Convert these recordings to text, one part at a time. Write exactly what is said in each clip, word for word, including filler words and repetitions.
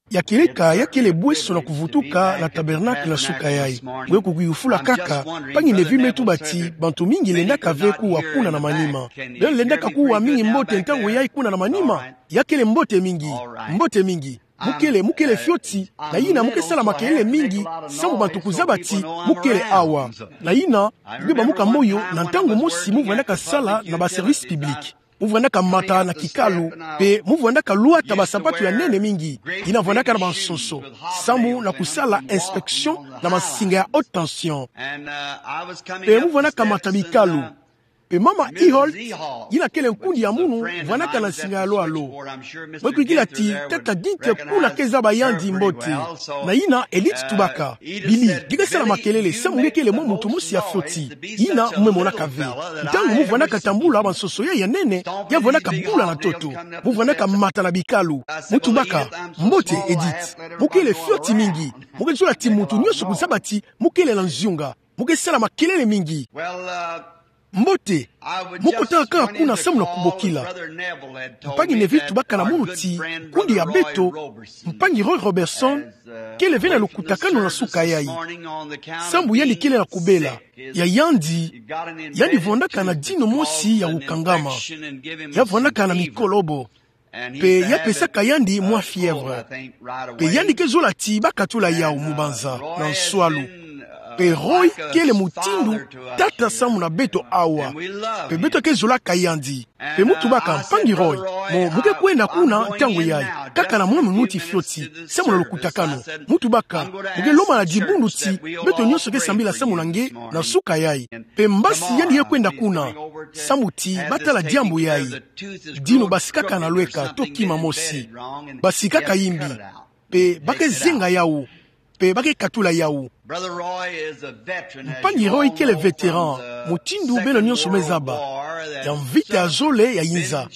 Ya kieleka, ya kele bweso na kuvutuka na tabernacle na suka yayi. Bwe kukiyufula kaka, mpangi Neville me tuba ti bantu mingi lendaka ve kuwa kuna na manima. Beno lendaka kuwa mingi mbote ntangu yayi kuna na manima? Ya kele mbote mingi. Mbote mingi. Mu kele, mu kele fioti, na yina mu ke sala makelele mingi, samu bantu kuzaba ti mu kele awa. Na yina, mu ke bamuka moyo, na ntangu mosi mu vwandaka sala na ba service public. Mu vwandaka mata na kikalu, mpe mu vwandaka lwata basapatu ya nene mingi. Yina vwandaka na bansonso, samu na kusala inspection na bansinga ya haute tension. Mpe mu vwandaka mata bikalu. Mpe mama Eholt, yina kele nkundi ya munu, vwandaka na nsinga ya lwalo. Mwe kuikila ti tata Dieter kuna ke zaba yandi mbote. Na yina Edith tubaka: Billy, nge ke sala makelele, samu nge kele mwa muntu mosi ya fioti. Yina mu me monaka ve. Ntangu mu vwandaka tambula bansonso yayi ya nene, ya vwandaka bula na ntoto. Mu vwandaka mata na bikalu. Mu tubaka: Mbote, Edith. Mu kele fioti mingi. Mu ke zola ti muntu nyonso kuzaba ti mu kele na nziunga. Mu ke sala makelele mingi. Mbote, mu kotaka kaka kuna samu na kubokila. Mpangi Neville tubaka na munu ti nkundi ya beto, mpangi Roy Robertson, kele ve na lukutakanu na suka yayi. Samu yandi kele na kubela. Ya yandi, yandi vwandaka na dino mosi ya kukangama. Ya vwandaka na mikolobo. Mpe ya pesaka yandi mwa fièvre. Mpe yandi ke zola ti ba katula yawu mubanza na nswalu. Mpe Roy kele mutindu tata samu na beto awa. Mpe beto ke zolaka yandi. Mpe mu tubaka: Mpangi Roy, mo, mu ke kwenda kuna ntangu yayi, kaka na mwa minuti fioti, samu na lukutakanu. Mu tubaka: Mu ke lomba na dibundu ti beto nyonso ke sambila samu na nge na suka yayi. Mpe mbasi yandi ye kwenda kuna, samu ti ba tala diambu yayi. Dino basikaka na lweka to kima mosi. Basikaka yimbi. Mpe ba ke zenga yawu. Mpe ba ke katula yawu. Mpangi Roy kele vétéran, mutindu beno nyonso me zaba, ya mvita ya zole ya yinza.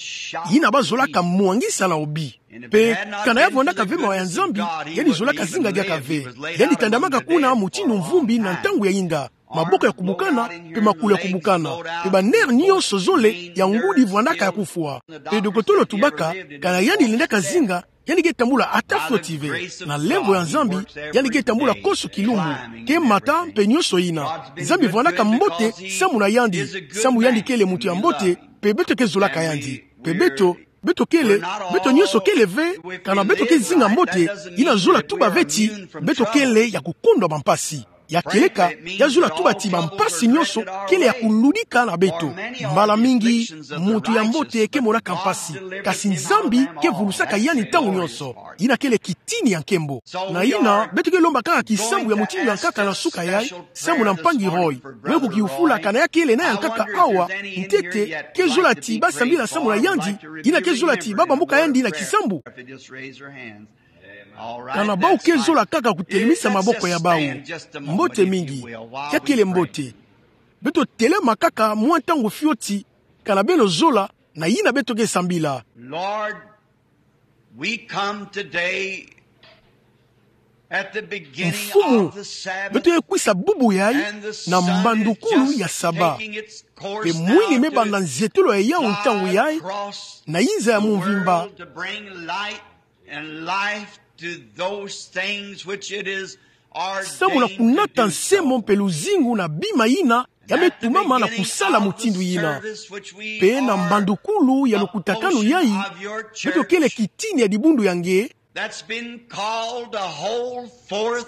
Yina ba zolaka mwangisa na obi. Mpe kana ya vwandaka ve mawa ya Nzambi, yandi zolaka zinga diaka ve. Yandi tandamaka kuna mutindu mvumbi na ntangu ya yinda. Maboko ya kubukana, mpe makulu ya kubukana, mpe ba nerfs nyonso zole ya ngudi vwandaka ya kufwa. Mpe dokotolo tubaka, kana yandi lendaka zinga, yandi ke tambula ata fioti ve. Na lemvo ya Nzambi, yandi ke tambula konso kilumbu, ke mata mpe nyonso yina. Nzambi vwandaka mbote samu na yandi, samu yandi kele muntu ya mbote, mpe beto ke zolaka yandi. Mpe beto, beto kele, beto nyonso kele ve, kana beto ke zinga mbote, yina zola tuba ve ti beto kele ya kukondwa bampasi. Ya kieleka, ya zola tuba ti bampasi nyonso kele ya kuludika na beto. Mbala mingi, muntu ya mbote ke monaka mpasi, kasi Nzambi ke vulusaka yandi ntangu nyonso. Yina kele kitini ya nkembo. Na yina, beto ke lomba kaka kisambu ya mutindu ya nkaka na suka yayi, samu na mpangi Roy. Mwe kukiyufula kana ya kele na ya nkaka awa, ntete, ke zola ti ba sambila samu na yandi, yina ke zola ti ba bambuka yandi na kisambu. Kana bawu ke zola kaka kutelemisa maboko ya bawu. Mbote mingi. Ya kele mbote. Beto telema kaka mwa ntangu fioti, kana beno zola, na yina beto ke sambila. Lord, we come today at the beginning Mfumu, of the Sabbath, beto ye kwisa bubu yayi, and the na sun mbandukulu is ya just Saba. Taking its course. Mpe mwini now me to banda nzietolo ya yawu ntangu yayi, na yinza ya mumvimba. Guide the world to bring light and life to those things which it is ordained to do so. Samu na kunata nsemo mpe luzingu na bima yina ya me tumama na kusala mutindu yina. Mpe na mbandukulu ya lukutakanu yayi, beto kele kitini ya dibundu ya nge. That's been called to hold forth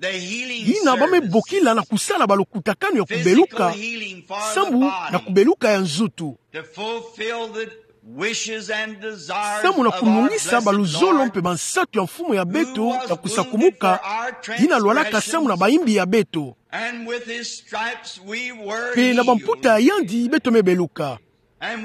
the healing service. Yina ba me bokila na kusala balukutakanu ya kubeluka, physical healing for the body, sambu na kubeluka ya nzutu. To fulfill the wishes and desires of our blessed Lord, who would be for our transgressions. Samu na kunungisa baluzolo mpe bansatu ya Mfumu ya beto ya kusakumuka, yina lwalaka samu na bayimbi ya beto. And with his stripes we were healed. Mpe na bamputa ya yandi beto me beluka.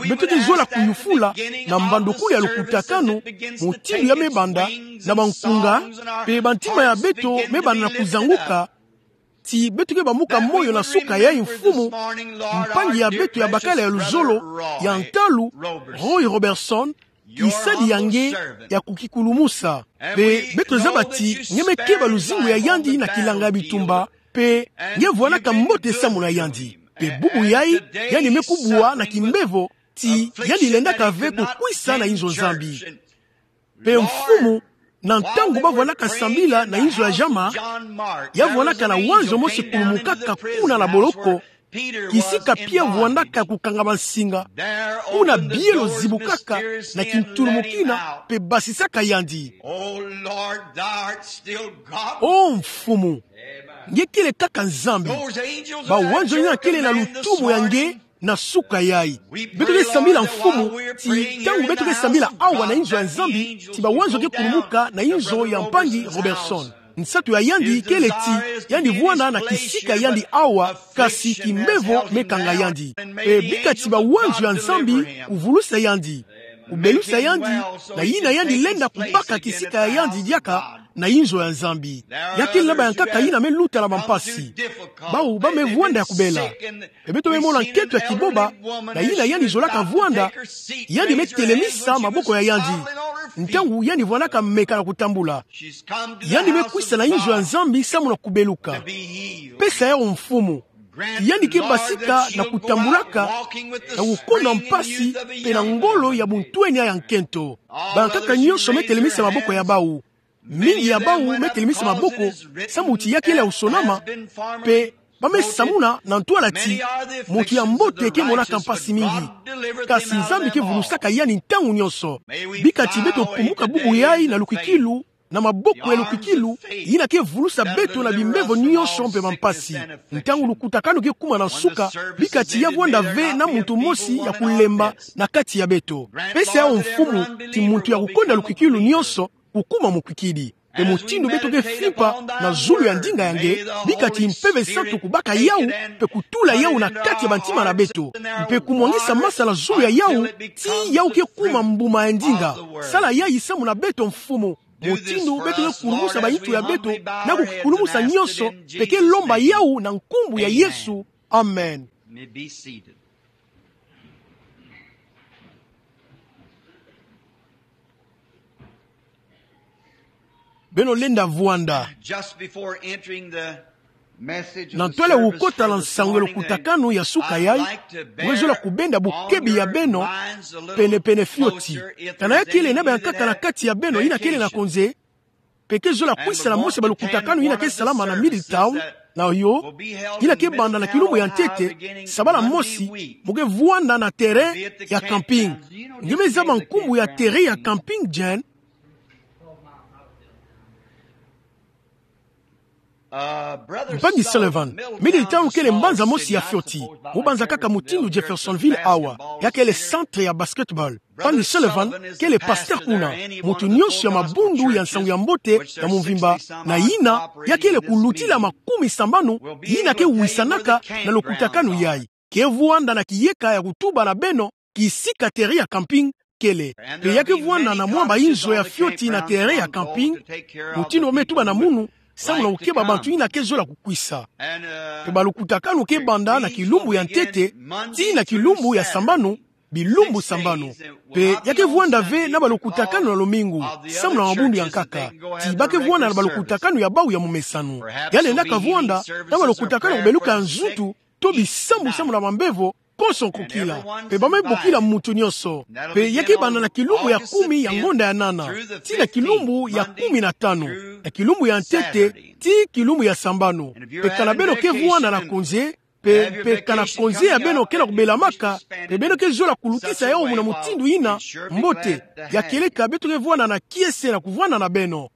Beto ke zola kuyufula na mbandukulu ya lukutakanu, mutindu ya me banda, na bankunga, mpe bantima ya beto me banda na kuzanguka, ti beto ke bambuka moyo na suka yayi Mfumu, mpangi ya beto ya bakala ya luzolo, ya ntalu, Roy Robertson, kisadi ya nge ya kukikulumusa. Mpe beto zaba ti nge me keba luzingu ya yandi na kilanga ya bitumba, mpe nge vwanaka mbote samu na yandi. Mpe bubu yayi, yandi me kubwa na kimbevo, ti yandi lendaka ve kukwisa na inzo Nzambi. Mpe Mfumu, Na ntangu bavwandaka sambila na inzo ya Jean-Marc, ya vwandaka na wanzo mosi kulumukaka kuna na boloko, kisika Pierre vwandaka kukangama nsinga. Kuna bielo zibukaka na kintulumukina, mpe basisaka yandi: O Mfumu, nge kele kaka Nzambi. Bawanzo yina kele na lutumu ya nge na suka yayi. Beto ke sambila, Mfumu, ti ntangu beto ke sambila awa na inzo ya Nzambi, ti bawanzo ke kulumuka na inzo ya mpangi Robertson. Nsatu ya yandi kele ti yandi vwanda na kisika ya yandi awa, kasi kimbevo me kanga yandi. Mpe bika ti bawanzo ya Nzambi kuvulusa yandi, kubelusa yandi, na yina yandi lenda kubaka kisika ya yandi diaka na inzo ya Nzambi. Ya kele na bayankaka yina me luta na bampasi. Bawu ba me vwanda ya kubela. Mpe beto me mona nkento ya kiboba, na yina yandi zolaka vwanda, yandi me telemisa maboko ya yandi. Ntangu yandi vwandaka meka na kutambula, yandi me kwisa na inzo ya Nzambi samu na kubeluka. Pesa yawu, Mfumu. Ti yandi ke basika na kutambulaka, na kukonda mpasi, mpe na ngolo ya buntwenia ya nkento. Bayankaka nyonso me telemisa maboko ya bawu. Mingi ya bawu me telemisa maboko, samu ti ya kele ya kusonama, mpe ba me samuna na ntwala ti: Muntu ya mbote ke monaka mpasi mingi, kasi Nzambi ke vulusaka yandi ntangu nyonso. Bika ti beto pumuka bubu yayi na lukikilu, na maboko ya lukikilu, yina ke vulusa beto na bimbevo nyonso mpe bampasi. Ntangu lukutakanu ke kuma na nsuka, bika ti ya vwanda ve na muntu mosi ya kulemba na kati ya beto. Pesa yawu, Mfumu, ti muntu ya kukonda lukikilu nyonso kukuma mukwikidi. Mpe mutindu beto ke fimpa na zulu ya ndinga ya nge, bika ti Mpeve Santu kubaka yawu, mpe kutula yawu na kati ya bantima na beto, mpe kumwangisa masa na zulu ya yawu, ti yawu ke kuma mbuma ya ndinga. Sala yayi samu na beto, Mfumu. Mutindu beto ke kulumusa bayitu ya beto na kukikulumusa nyonso, mpe ke lomba yawu na nkumbu ya Yesu. Amen. Beno lenda vwanda. Na ntwala ya kukota na nsangu ya lukutakanu ya suka yayi, nge zola kubenda bukebi ya beno penepene fioti. Kana ya kele na bayankaka na kati ya beno yina kele na konze, mpe ke zola kwisa na mosi ya balukutakanu yina ke salama na Middletown, na yo, yina ke banda na kilumbu ya ntete, sabala mosi, mo ke vwanda na terrain ya camping. Nge me zaba nkumbu ya terrain ya camping, Jane? Mpangi Sullivan, Middletown kele mbanza mosi ya fioti, mubanza kaka mutindu Jeffersonville awa, ya kele centre ya basketball. Mpangi Sullivan kele pasteur kuna. Muntu nyonso ya mabundu ya nsangu ya mbote ya mvimba, na yina ya kele kulutila makumi sambanu, yina ke wisanaka na lukutakanu yayi, ke vwanda na kiyeka ya kutuba na beno kisika terrain ya camping kele. Mpe ya ke vwanda na mwa bainzo ya fioti na terrain ya camping, mutindu ba me tuba na munu, samu na kukeba bantu yina ke zola kukwisa. Mpe balukutakanu ke banda na kilumbu ya ntete tii na kilumbu ya sambanu, bilumbu sambanu. Mpe ya ke vwanda ve na balukutakanu na lumingu, samu na mabundu ya nkaka. Ti ba ke vwanda na balukutakanu ya bawu ya mumesanu. Ya lendaka vwanda na balukutakanu ya kubeluka nzuntu, to bisambu samu na mambevo, konso nkokila. Mpe ba me bokila muntu nyonso. Mpe ya ke banda na kilumbu ya kumi ya ngonda ya nana, tii na kilumbu ya kumi na tanu, na kilumbu ya ntete tii kilumbu ya sambanu. Mpe kana beno ke vwanda na konze, mpe, mpe kana konze ya beno ke na kubelamaka, mpe beno ke zola kulutisa yawu muna mutindu yina mbote, ya kieleka beto ke vwanda na kiese na kuvwanda na beno.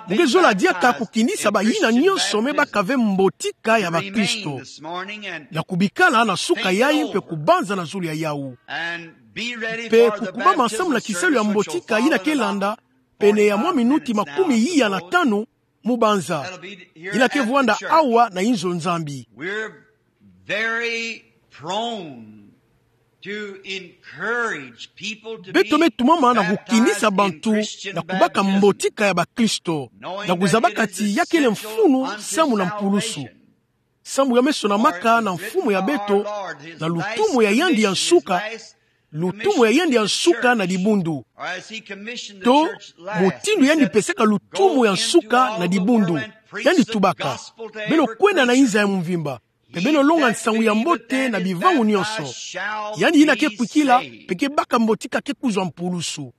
Mu ke zola diaka kukinisa bayina nyonso me baka ve mbotika ya bakristo, na kubikala na suka yayi mpe kubanza na zulu ya yawu. Mpe kukubama samu na kisalu ya mbotika yina ke landa, pene ya mwa minuti makumi iya na tanu, mubanza. Yina ke vwanda awa na inzo Nzambi. Beto me tumama na kukinisa bantu na kubaka mbotika ya bakristo, na kuzabaka ti ya kele mfunu samu na mpulusu. Samu ya me sonamaka na Mfumu ya beto, na lutumu ya yandi ya nsuka, lutumu ya yandi ya nsuka na dibundu. To, mutindu yandi pesaka lutumu ya nsuka na dibundu. Yandi tubaka: Beno kwenda na inza ya mvimba. Pe beno longa nsangu ya mbote na bivangu nionso. Yandi yina ke kwikila, pe ke baka mbotika ke kuzwa mpulusu.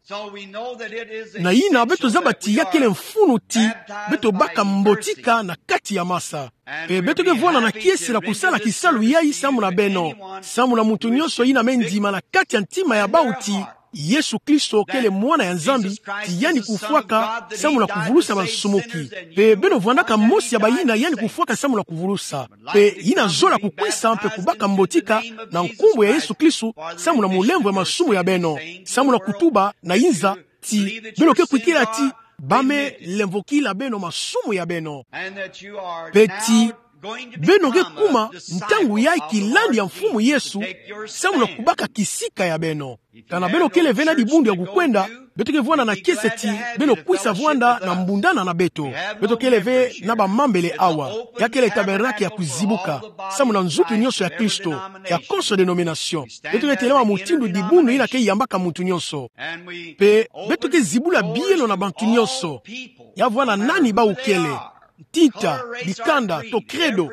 Na yina beto zaba ti ya kele mfunu ti beto baka mbotika na kati ya masa. Pe beto ke vwanda na kiese na kusala kisalu yai samu na beno, samu na muntu nionso yina me ndima na kati ya ntima ya bau ti Yesu Kristo kele Mwana ya Nzambi, ti yandi kufwaka samu na kuvulusa bansumuki. Pe beno vwandaka mosi ya bayina yandi kufwaka samu na kuvulusa. Pe yina zola kukwisa mpe kubaka mbotika na nkumbu ya Yesu Kristo samu na mulemvo ya masumu ya beno, samu na kutuba na inza ti beno ke kwikila ti ba me lemvokila beno masumu ya beno. Pe ti beno ke kuma ntangu yai kilandi ya Mfumu Yesu samu na kubaka kisika ya beno. Kana beno kele ve na dibundu ya kukwenda, beto ke vwanda na kiese ti beno kwisa vwanda na mbundana na beto. Beto kele ve na bamambele awa. Ya kele tabernacle ya kuzibuka samu na nzutu nionso ya Kristo, ya konso denomination. Beto ke telama mutindu dibundu yina ke yambaka muntu nionso. Pe beto ke zibula bielo na bantu nionso. Ya vwanda nani bau kele, ntinta, dikanda, to credo.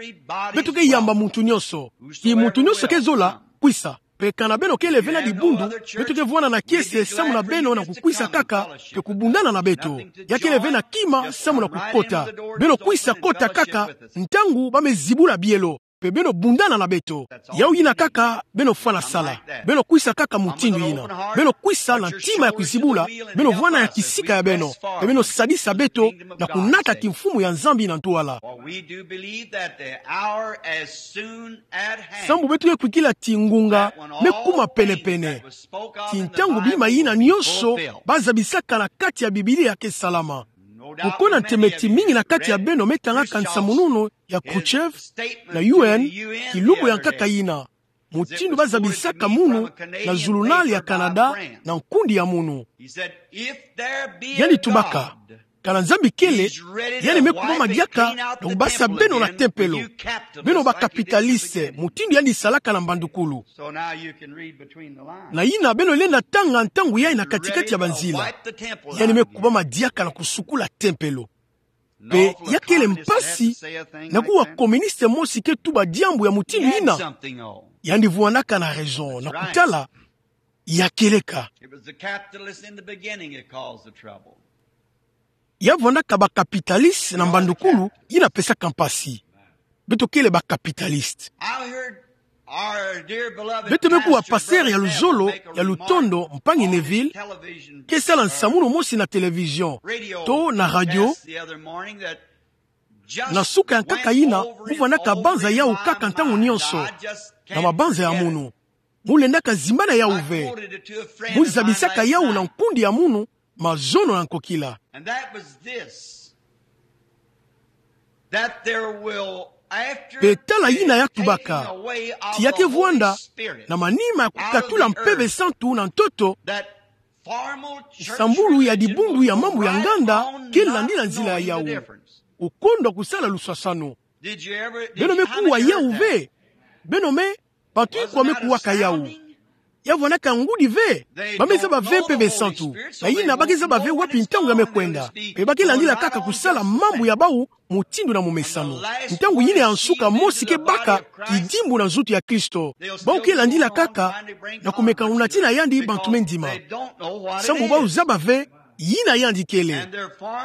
Beto ke yamba muntu nionso. Ti muntu nionso ke zola kwisa. Pe kana beno kele ve na dibundu, beto ke vwanda na kiese samu na beno na kukwisa kaka, pe kubundana na beto. Ya kele ve na kima samu na kukota. Beno kwisa kota kaka ntangu ba me zibula bielo. Pe beno bundana na beto. Yau yina kaka beno fwana sala. Beno kwisa kaka mutindu yina. Beno kwisa na ntima ya kuzibula. Beno vwanda ya kisika ya beno. Pe beno sadisa beto na kunata kimfumu ya Nzambi na ntwala. For we do believe that the hour is soon at hand. Sambu beto ke kwikila ti ngunga me kuma penepene. Ti ntangu bima yina nionso ba zabisaka na kati ya Biblia ke salama. Kukona ntemeti mingi na kati ya beno me tangaka nsamununu ya Khrushchev na U N, kilumbu ya nkaka yina, mutindu ba zabisaka munu na zulunal ya Canada na nkundi ya munu. Yandi tubaka, kana Nzambi kele, yandi me kubama diaka na kubasa beno na tempelo. Beno ba capitaliste, mutindu yandi salaka na mbandukulu. Na yina beno lenda tanga ntangu yai na katikati ya banzila. Yandi me kubama diaka na kusukula tempelo. Pe ya kele mpasi na kuwa communiste mosi ke tuba diambu ya mutindu yina. Yandi vwandaka na raison na kutala ya kieleka. It was the capitalist in the beginning that caused the trouble. Ya vwandaka ba capitaliste na mbandukulu yina pesaka mpasi. Beto kele ba capitaliste. I heard our dear beloved Beto me kuwa pasteur ya luzolo, ya lutondo, mpangi Neville, ke sala nsamununu mosi na télévision to na radio. Na suka ya nkaka yina, mu vwandaka banza yau kaka ntangu nionso na mabanza ya munu. Mu lendaka zimbana yau ve. Mu zabisaka yau na nkundi ya munu, mazono na nkokila. Pe tala yina ya tubaka, ti ya ke vwanda na manima ya kukatula Mpeve Santu na ntoto, nsambulu ya dibundu ya mambu ya nganda ke landila nzila ya yau. Okondwa kusala lusasanu. Beno me kuwa yau ve? Beno me, bantu ikwa me kuwaka yau? Ya vwandaka ngudi ve. Ba me zaba ve Mpeve Santu. Na yina ba ke zaba ve wapi ntangu ya me kwenda. Pe ba ke landila kaka kusala mambu ya bau mutindu na momesano. Ntangu yina ya nsuka mosi ke baka kidimbu na nzutu ya Kristo. Bau ke landila kaka na kumeka kunatina yandi bantu me ndima. Sambu bau zaba ve yina yandi kele.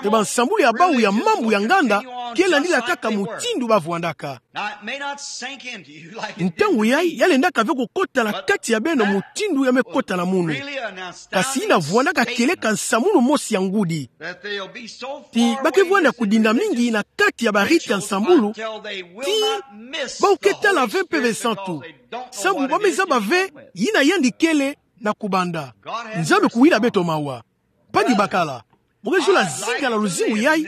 Pe bansambulu ya bau ya mambu ya nganda ke landila kaka mutindu ba vwandaka. Ntangu yai, ya lendaka ve kukota na kati ya beno mutindu ya me kota na munu. Kasi yina vwandaka kieleka nsamununu mosi ya ngudi. Ti ba ke vwanda kudinda mingi na kati ya ba rite ya nsambulu, ti bau ke tala ve Mpeve Santu. Sambu ba me zaba ve yina yandi kele na kubanda. Nzambi kuwila beto mawa. Mpangi bakala, mu ke zola zinga na luzingu yai,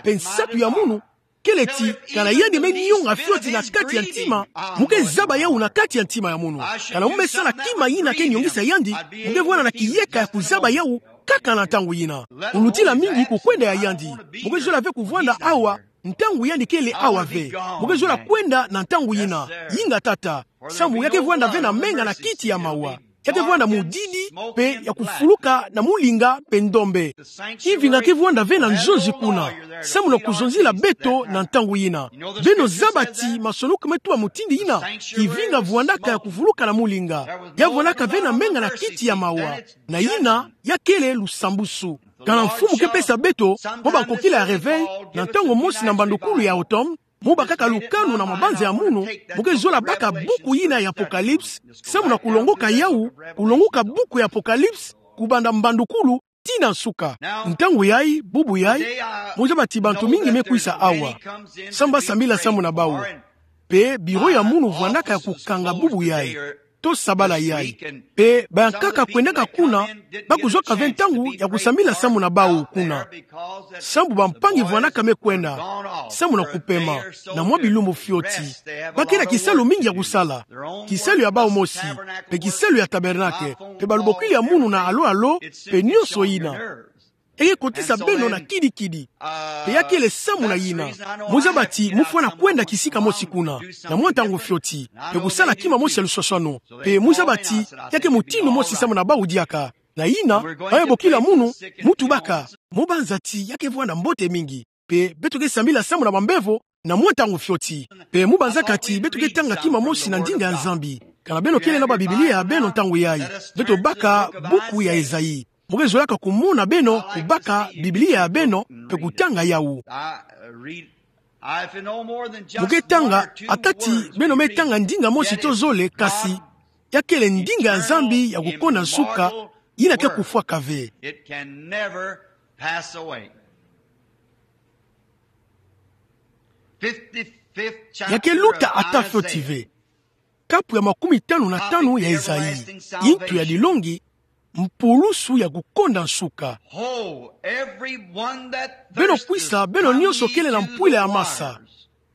pe nsatu ya munu, kele ti, kana yandi me nionga fioti na kati ya ntima, mu ke zaba yau na kati ya ntima ya munu. Kana mu me sala kima yina ke niongisa yandi, mu ke vwanda na kiyeka ya kuzaba yau kaka na ntangu yina. Kulutila mingi kukwenda ya yandi. Mu ke zola ve kuvwanda awa, ntangu yandi kele awa ve. Mu ke zola kwenda na ntangu yina. Yinga tata. Sambu ya ke vwanda ve na menga na kiti ya mawa. Ya ke vwanda mudidi, mpe ya kufuluka na mulinga mpe ndombe. Kivinga ke vwanda ve na nzonzi kuna, samu na kuzonzila beto na ntangu yina. Beno zaba ti masonoko me tuba mutindu yina, kivinga vwandaka ya kuvuluka na mulinga. Ya vwandaka ve na menga na kiti ya mawa. Na yina, ya kele lusambusu. Kana Mfumu ke pesa beto mwa bankokila ya réveil, na ntangu mosi na mbandukulu ya automne, mu bakaka lukanu na mabanza ya munu, mu ke zola baka buku yina ya Apocalypse, samu na kulongoka yawu, kulongoka buku ya Apocalypse, kubanda mbandukulu tii na nsuka. Ntangu yayi, bubu yayi, mu zaba ti bantu mingi me kwisa awa, samu ba sambila samu na bawu. Mpe biro ya munu vwandaka ya kukanga bubu yayi, to sabala yayi. Mpe bayankaka kwendaka kuna, ba kuzwaka ve ntangu ya kusambila samu na bawu kuna. Sambu bampangi vwandaka me kwenda, samu na kupema, na mwa bilumbu fioti. Ba ke na kisalu mingi ya kusala. Kisalu ya bawu mosi, mpe kisalu ya tabernakle, mpe balubokili ya munu na alo-alo, mpe nionso yina. Eke kotisa beno na kidi-kidi. Mpe ya kele samu na yina, mu zaba ti mu fwana kwenda kisika mosi kuna, na mwa ntangu fioti, mpe kusala kima mosi ya luswaswanu. Mpe mu zaba ti ya ke mutindu mosi samu na bawu diaka. Na yina, baye bokila munu, mu tubaka, mu banza ti ya ke vwanda mbote mingi. Mpe beto ke sambila samu na bambevo, na mwa ntangu fioti. Mpe mu banzaka ti beto ke tanga kima mosi na ndinga ya Nzambi. Kana beno kele na Babiblia ya beno ntangu yayi, beto baka buku ya Ezayi. Mu ke zolaka kumona beno kubaka Biblia ya beno, mpe kutanga yawu. Mu ke tanga, ata ti beno me tanga ndinga mosi to zole, kasi ya kele ndinga ya Nzambi ya kukonda nsuka, yina ke kufwaka ve. Ya ke luta ata fioti ve. Kapu ya makumi tanu na tanu ya Ezayi. Ntu ya dilongi: Mpulusu ya kukonda nsuka. Beno kwisa, beno nionso kele na mpwila ya masa.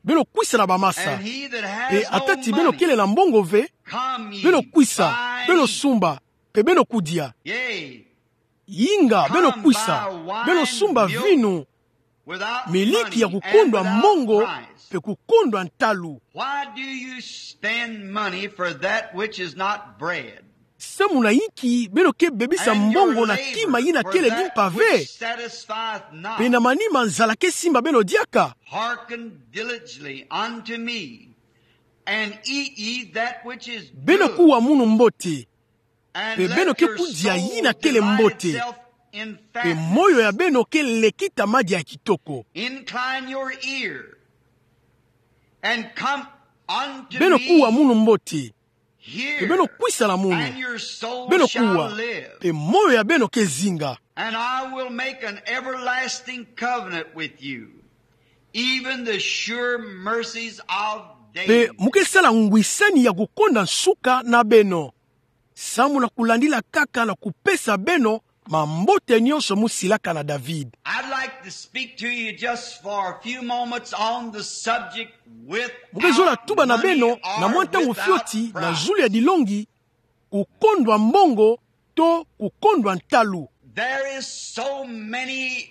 Beno kwisa na bamasa. Mpe ata ti beno kele na mbongo ve, beno kwisa, beno sumba, mpe beno kudia. Yinga, beno kwisa, beno sumba vinu, miliki ya kukondwa mbongo, mpe kukondwa ntalu. Why do you spend money for that which is not bread? Samu na inki beno ke bebisa mbongo na kima yina kele limpa ve, mpe na manima nzala ke simba beno diaka? Hearken diligently unto me, and eat ye that which is good. Beno kuwa munu mbote, mpe beno ke kudia yina kele mbote, mpe moyo ya beno ke lekita madia ya kitoko. Incline your ear, and come unto me. Beno kuwa munu mbote, mpe beno kwisa na munu. Beno kuwa, mpe moyo ya beno ke zinga. And I will make an everlasting covenant with you, even the sure mercies of David. Mpe mu ke sala ngwisani ya kukonda nsuka na beno, samu na kulandila kaka na kupesa beno mambote nionso mu silaka na David. I'd like to speak to you just for a few moments on the subject with. Mu ke zola tuba na beno na mwa ntangu fioti na zulu ya dilongi: kukondwa mbongo to kukondwa ntalu. There is so many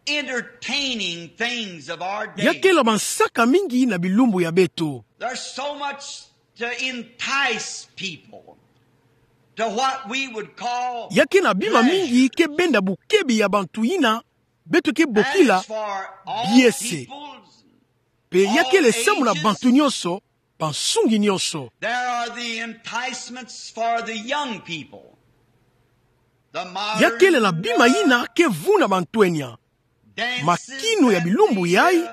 entertaining things of our day. Ya kele bansaka mingi na bilumbu ya beto. There's so much to entice people to what we would call. Ya ke na bima mingi ke benda bukebi ya bantu yina beto ke bokila biese. Mpe ya kele samu na bantu nionso, bansungi nionso. There are the enticements for the young people. Ya kele na bima yina ke vuna bantwenia. Makinu ya bilumbu yayi,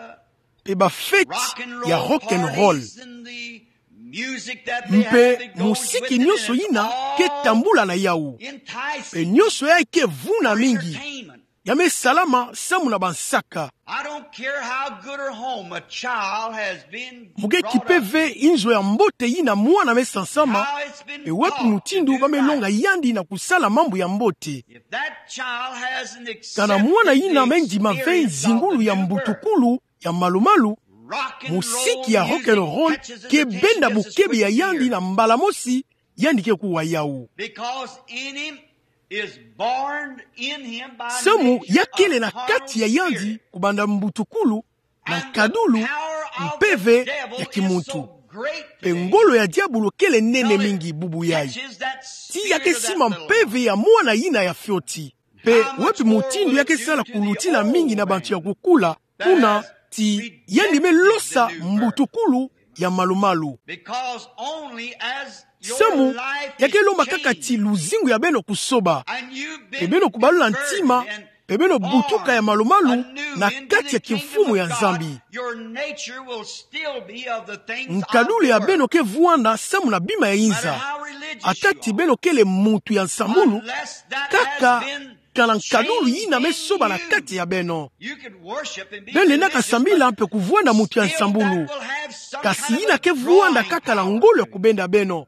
mpe bafeti ya rock and roll, mpe musiki nionso yina ke tambula na yawu. Mpe nionso yayi ke vuna mingi. Ya me salama samu na bansaka. I don't care how good a home a child has been brought up in. Mu ke kipe ve inzo ya mbote yina mwana me sansama, mpe wapi mutindu ba me longa yandi na kusala mambu ya mbote. If that child has an accepted the experience of the new birth, kana mwana yina me ndima ve nzingulu ya mbutukulu ya malu-malu, musiki ya rock and roll ke benda bukebi ya yandi na mbala mosi, yandi ke kuwa yawu. Because in him is born in him by nature a consecrated spirit. Samu ya kele na kati ya yandi kubanda mbutukulu na nkadulu mpeve ya kimuntu. Mpe ngolo ya diabulu kele nene mingi bubu yai. Ti ya ke sima mpeve ya mwana yina ya fioti. Mpe wapi mutindu ya ke sala kulutila mingi na bantu ya kukula, kuna ti yandi me losa mbutukulu ya malumalu. Samu ya ke lomba kaka ti luzingu ya beno kusoba, mpe beno kubalula ntima, mpe beno butuka ya malumalu na kati ya kimfumu ya Nzambi. Nkadulu ya beno ke vwanda samu na bima ya inza. Ata ti beno kele muntu ya nsambulu, kaka kana nkadulu yina me soba na kati ya beno. Beno lenda ka sambila mpe kuvwanda muntu ya nsambulu, kasi yina ke vwanda kaka na ngolo ya kubenda beno.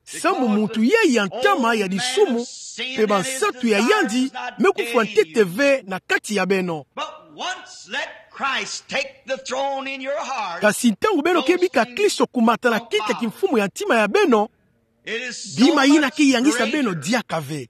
Samu muntu yai ya ntama ya disumu, mpe bansatu ya yandi me kufwa ntete ve na kati ya beno. But once let Christ take the throne in your heart, kasi ntangu beno ke bika Kristo kumata na kiti ya kimfumu ya ntima ya beno, bima yina ke yangisa beno diaka ve.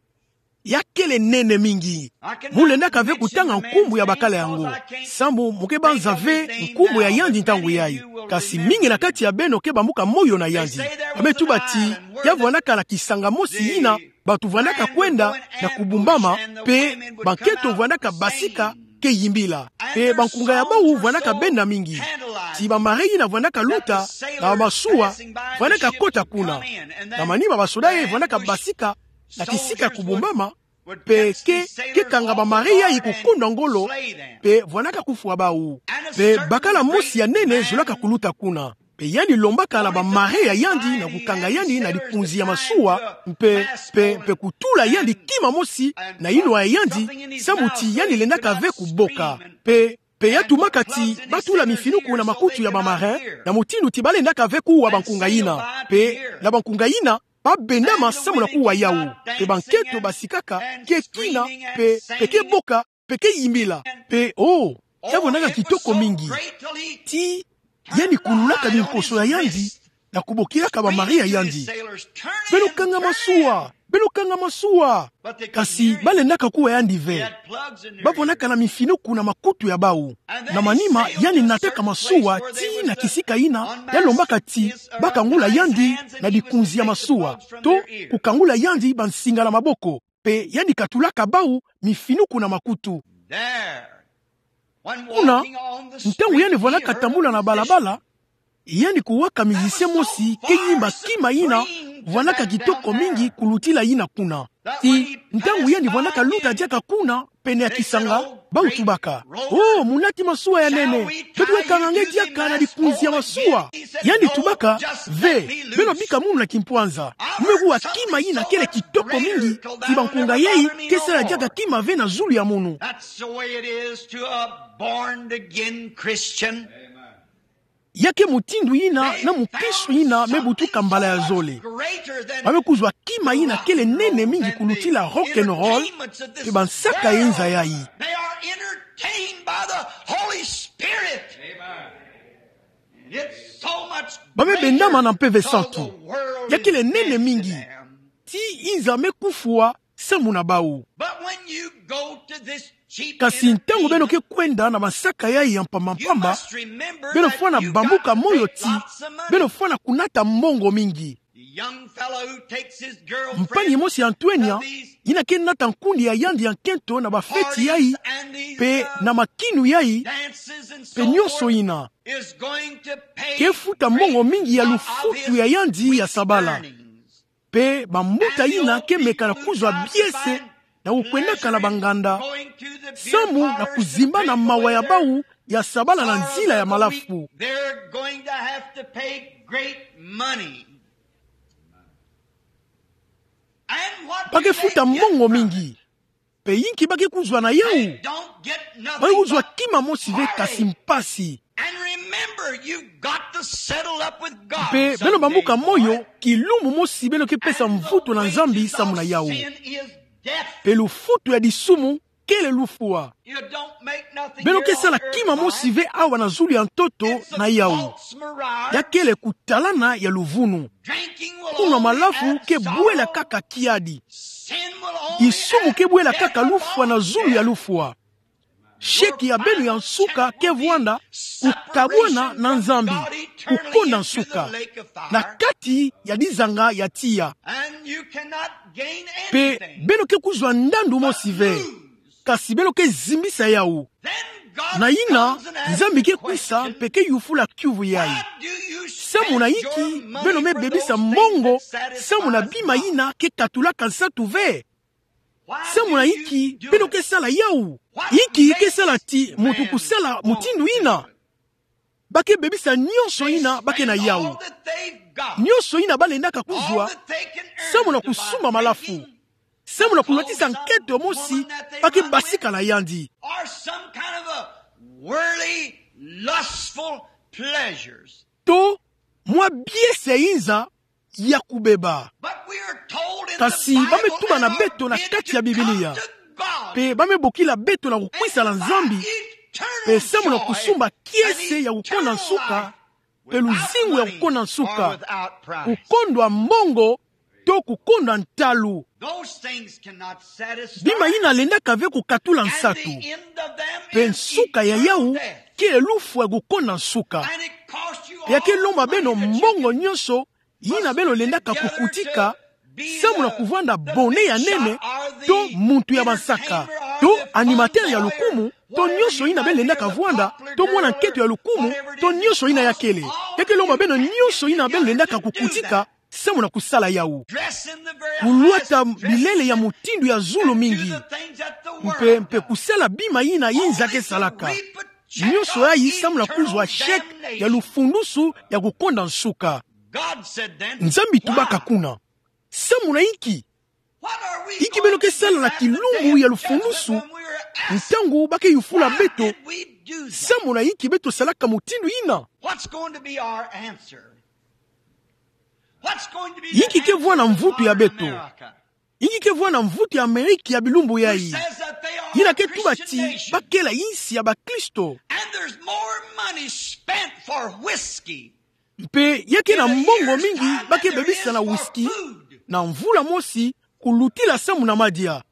Ya kele nene mingi. Mu lendaka ve kutanga nkumbu ya bakala yango, samu mu ke banza ve nkumbu ya yandi ntangu yai. Kasi mingi na kati ya beno ke bambuka moyo na yandi. Ba me tuba ti ya vwandaka na kisanga mosi yina bato vwandaka kwenda na kubumbama, mpe bankento vwandaka basika ke yimbila. Mpe bankunga ya bau vwandaka benda mingi. Ti bamare yina vwandaka luta na bamasuwa vwandaka kota kuna. Na manima basoda yai vwandaka basika na kisika ya kubumbama, mpe ke, ke kanga bamare yai kukunda ngolo, mpe vwandaka kufwa bau. Mpe bakala mosi ya nene zolaka kuluta kuna. Mpe yandi lombaka na bamare ya yandi na kukanga yandi na likunzi ya masuwa, mpe, mpe, mpe kutula yandi kima mosi na inwa ya yandi, samu ti yandi lendaka ve kuboka. Mpe, mpe ya tumaka ti ba tula mifinuku na makutu ya bamare, na mutindu ti ba lendaka ve kuwa bankunga yina. Mpe na bankunga yina, ba bendama samu na kuwa yau. Mpe bankento basikaka ke kina, mpe, mpe ke boka, mpe ke yimbila. Mpe, oh, ya vwandaka kitoko mingi. Ti yandi kululaka bimposo ya yandi na kubokilaka bamare ya yandi: Beno kanga masuwa! Beno kanga masuwa! Kasi ba lendaka kuwa yandi ve. Ba vwandaka na mifinuku na makutu ya bau. Na manima, yandi nataka masuwa tii na kisika yina ya lombaka ti ba kangula yandi na likunzi ya masuwa, to kukangula yandi bansinga na maboko. Mpe yandi katulaka bau mifinuku na makutu. Kuna, ntangu yandi vwandaka tambula na balabala, yandi kuwaka musicien mosi ke yimba kima yina vwandaka kitoko mingi kulutila yina kuna. Ti ntangu yandi vwandaka luta diaka kuna pene ya kisanga, bau tubaka: Oh, munati masuwa ya nene, beto ke kanga nge diaka na likunzi ya masuwa? Yandi tubaka: Ve, beno bika munu na kimpwanza. Mu me kuwa kima yina kele kitoko mingi, ti bankunga yai ke sala diaka kima ve na zulu ya munu. That's the way it is to a born again Christian. Ya ke mutindu yina na mukristo yina me butuka mbala ya zole. Ba me kuzwa kima yina kele nene mingi kulutila rock and roll, mpe bansaka ya inza yai. They are entertained by the Holy Spirit. It's so much greater. Ba me bendama na Mpeve Santu. Ya kele nene mingi. Ti inza me kufwa samu na bau. But when you go to this cheap entertainment, kasi ntangu beno ke kwenda na bansaka yai ya mpamba mpamba, beno fwana bambuka moyo ti beno fwana kunata mbongo mingi. The young fellow who takes his girlfriend, mpani mosi ya ntwenya, yina ke nata nkundi ya yandi ya nkento na bafeti yai, mpe na makinu yai, mpe nyonso yina, ke futa mbongo mingi ya lufutu ya yandi ya sabala. Mpe bambuta yina ke meka na kuzwa biese na kukwendaka na banganda, samu na kuzimbana mawa ya bau ya sabala na nzila ya malafu. They're going to have to pay great money. Ba ke futa mbongo mingi. Mpe inki ba ke kuzwa na yau? Ba ke kuzwa kima mosi ve kasi mpasi. And remember, you've got to settle up with God. Mpe beno bambuka moyo, kilumbu mosi beno ke pesa mvutu na Nzambi samu na yau. Mpe lufutu ya disumu kele lufwa. Beno ke sala kima mosi ve awa na zulu ya ntoto na yau. Ya kele kutalana ya luvunu. Kunwa malafu ke bwela kaka kiadi. Disumu ke bwela kaka lufwa na zulu ya lufwa. Sheki ya beno ya nsuka ke vwanda kukabwana na Nzambi, kukonda nsuka, na kati ya dizanga ya tiya. Pe beno ke kuzwa ndandu mosi ve, kasi beno ke zimbisa yawu. Na yina, Nzambi ke kwisa mpe ke yufula kiuvu yayi: Samu na inki beno me bebisa mbongo samu na bima yina ke katulaka nsatu ve? Samu na inki beno ke sala yawu? Inki ke sala ti muntu kusala mutindu yina? Ba ke bebisa nyonso yina ba ke na yawu, nyonso yina ba lendaka kuzwa, samu na kusumba malafu, samu na kulwatisa nkento mosi ba ke basika na yandi, to mwa biese inza ya kubeba. Kasi ba me tuba na beto na kati ya Biblia, pe ba me bokila beto na kukwisa na Nzambi, pe samu na kusumba kiese ya kukonda nsuka, pe luzingu ya kukonda nsuka, kukondwa mbongo, to kukondwa ntalu. Bima yina lendaka ve kukatula nsatu, pe nsuka ya yawu kele lufwa ya kukonda nsuka. Ya ke lomba beno mbongo nyonso yina beno lendaka kukutika, samu na kuvwanda bonnet ya nene, to muntu ya bansaka, to animateur ya lukumu, to nyonso yina beno lendaka vwanda, to mwana nkento ya lukumu, to nyonso yina ya kele. Ya ke lomba beno nyonso yina beno lendaka kukutika, samu na kusala yawu. Kulwata bilele ya mutindu ya zulu mingi, mpe, mpe kusala bima yina inza ke salaka. Nyonso yayi samu na kuzwa sheki ya lufundusu ya kukonda nsuka. Nzambi tubaka kuna: Samu na inki? Inki beno ke sala na kilumbu ya lufundusu, ntangu ba ke yufula beto: Samu na inki beto salaka mutindu yina? Inki ke vwanda mvutu ya beto? Inki ke vwanda mvutu ya Amerika ya bilumbu yayi, yina ke tuba ti ba kele insi ya bakristo? Mpe ya ke na mbongo mingi ba ke bebisa na whisky, na mvula mosi, kulutila samu na madia.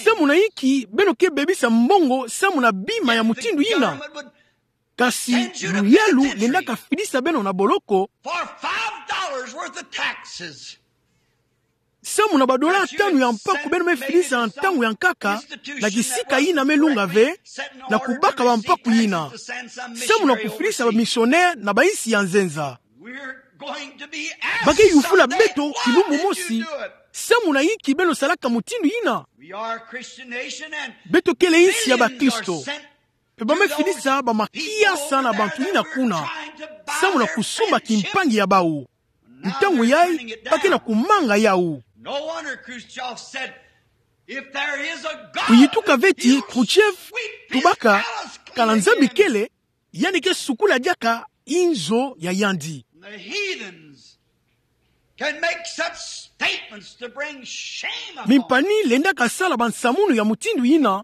Samu na inki beno ke bebisa mbongo samu na bima ya mutindu yina? Kasi luyalu lendaka fidisa beno na boloko samu na ba dollars tanu ya mpaku beno me fidisa na ntangu ya nkaka, na kisika yina me lunga ve, na kubaka ba mpaku yina, samu na kufidisa ba missionnaire na ba insi ya nzenza. Ba ke yufula beto kilumbu mosi: Samu na inki beno salaka mutindu yina? Beto kele insi ya bakristo, mpe ba me fidisa ba makiasa na bantu yina kuna, samu na kusumba kimpangi ya bawu. Ntangu yayi ba ke na kumanga yawu. Kuyituka ve ti Khrouchtchev tubaka: Kana Nzambi kele, yandi ke sukula diaka inzo ya yandi. Mimpani lendaka sala ba nsamunu ya mutindu yina,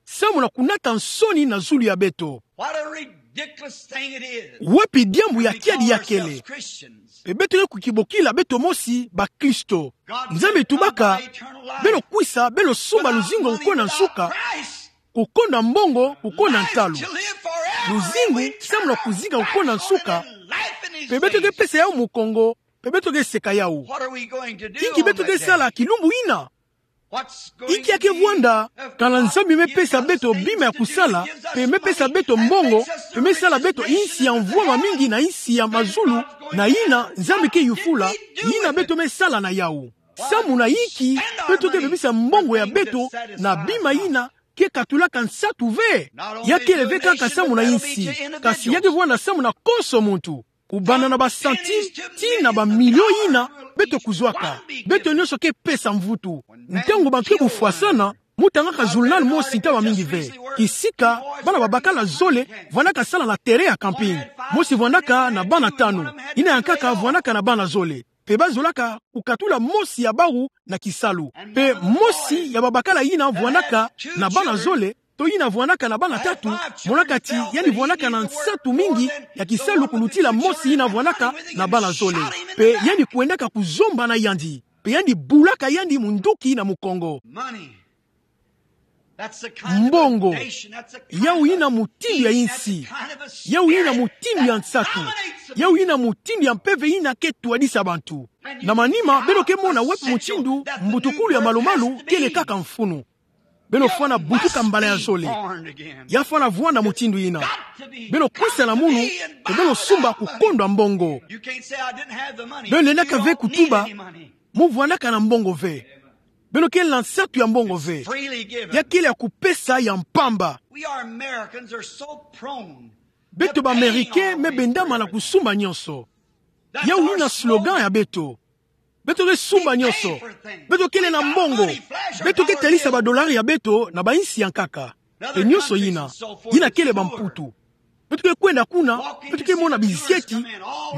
samu na kunata nsoni na zulu ya beto. Wapi diambu ya kiadi ya kele? Mpe beto ke kukibokila beto mosi bakristo. Nzambi tubaka: Beno kwisa, beno sumba luzingu ya kukonda nsuka, kukonda mbongo, kukonda ntalu. Luzingu samu na kuzinga kukonda nsuka, mpe beto ke pesa yawu mukongo, mpe beto ke seka yawu. Inki beto ke sala kilumbu yina? Inki ya ke vwanda, kana Nzambi me pesa beto bima ya kusala, mpe me pesa beto mbongo, mpe me sala beto insi ya mvwama mingi na insi ya mazulu, na yina Nzambi ke yufula, yina beto me sala na yawu? Samu na inki beto ke bebisa mbongo ya beto na bima yina ke katulaka nsatu ve? Ya kele ve kaka samu na insi, kasi ya ke vwanda samu na konso muntu. Kubanda na ba centime tii na ba milio yina beto kuzwaka, beto nyonso ke pesa mvutu. Ntangu bantu ke bufwasana, mu tangaka journal mosi ntama mingi ve. Kisika bana babakala zole vwandaka sala na terrain ya camping. Mosi vwandaka na bana tanu, yina ya nkaka vwandaka na bana zole. Mpe ba zolaka kukatula mosi ya bawu na kisalu. Mpe mosi ya babakala yina vwandaka na bana zole, to yina vwandaka na bana tatu, monaka ti yandi vwandaka na nsatu mingi ya kisalu kulutila mosi yina vwandaka na bana zole. Mpe yandi kwendaka kuzomba na yandi. Mpe yandi bulaka yandi munduki na mukongo. Mbongo. Yau yina mutindu ya insi. Yau yina mutindu ya nsatu. Yau yina mutindu ya mpeve yina ke twadisa bantu. Na manima, beno ke mona wapi mutindu mbutukulu ya malumalu kele kaka mfunu. Beno fwana butuka mbala ya zole. Ya fwana vwanda mutindu yina. Beno kwisa na munu, pe beno sumba kukondwa mbongo. Beno lendaka ve kutuba, mu vwandaka na mbongo ve. Beno kele na nsatu ya mbongo ve. Ya kele ya kupesa ya mpamba. Beto ba Américains me bendama na kusumba nyonso. Yau yina slogan ya beto. Beto ke sumba nyonso. Beto kele na mbongo. Beto ke talisa ba dollars ya beto na ba insi ya nkaka. Pe nyonso yina, yina kele ba mputu. Beto ke kwenda kuna, beto ke mona bizieti,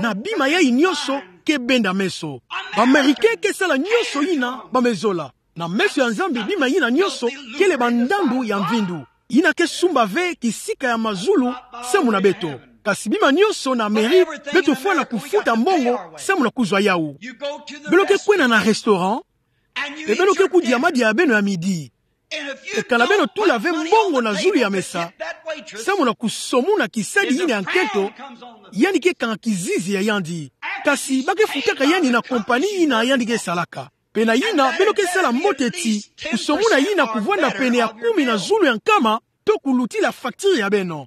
na bima yayi nyonso ke benda meso. Ba Américains ke sala nyonso yina ba me zola. Na meso ya Nzambi, bima yina nyonso kele ba ndandu ya mvindu. Yina ke sumba ve kisika ya mazulu samu na beto. Kasi bima nyonso na mairie, beto fwana kufuta mbongo samu na kuzwa yau. Beno ke kwenda na restaurant, pe beno ke kudia madia ya beno ya midi. Pe kana beno tula ve mbongo na zulu ya mesa, samu na kusomuna kisadi yina ya nkento, yandi ke kanga kizizi ya yandi. Kasi ba ke futaka yandi na compagnie yina yandi ke salaka. Pe na yina, beno ke sala mbote ti kusomuna yina kuvwanda pene ya kumi na zulu ya nkama, to kulutila facture ya beno.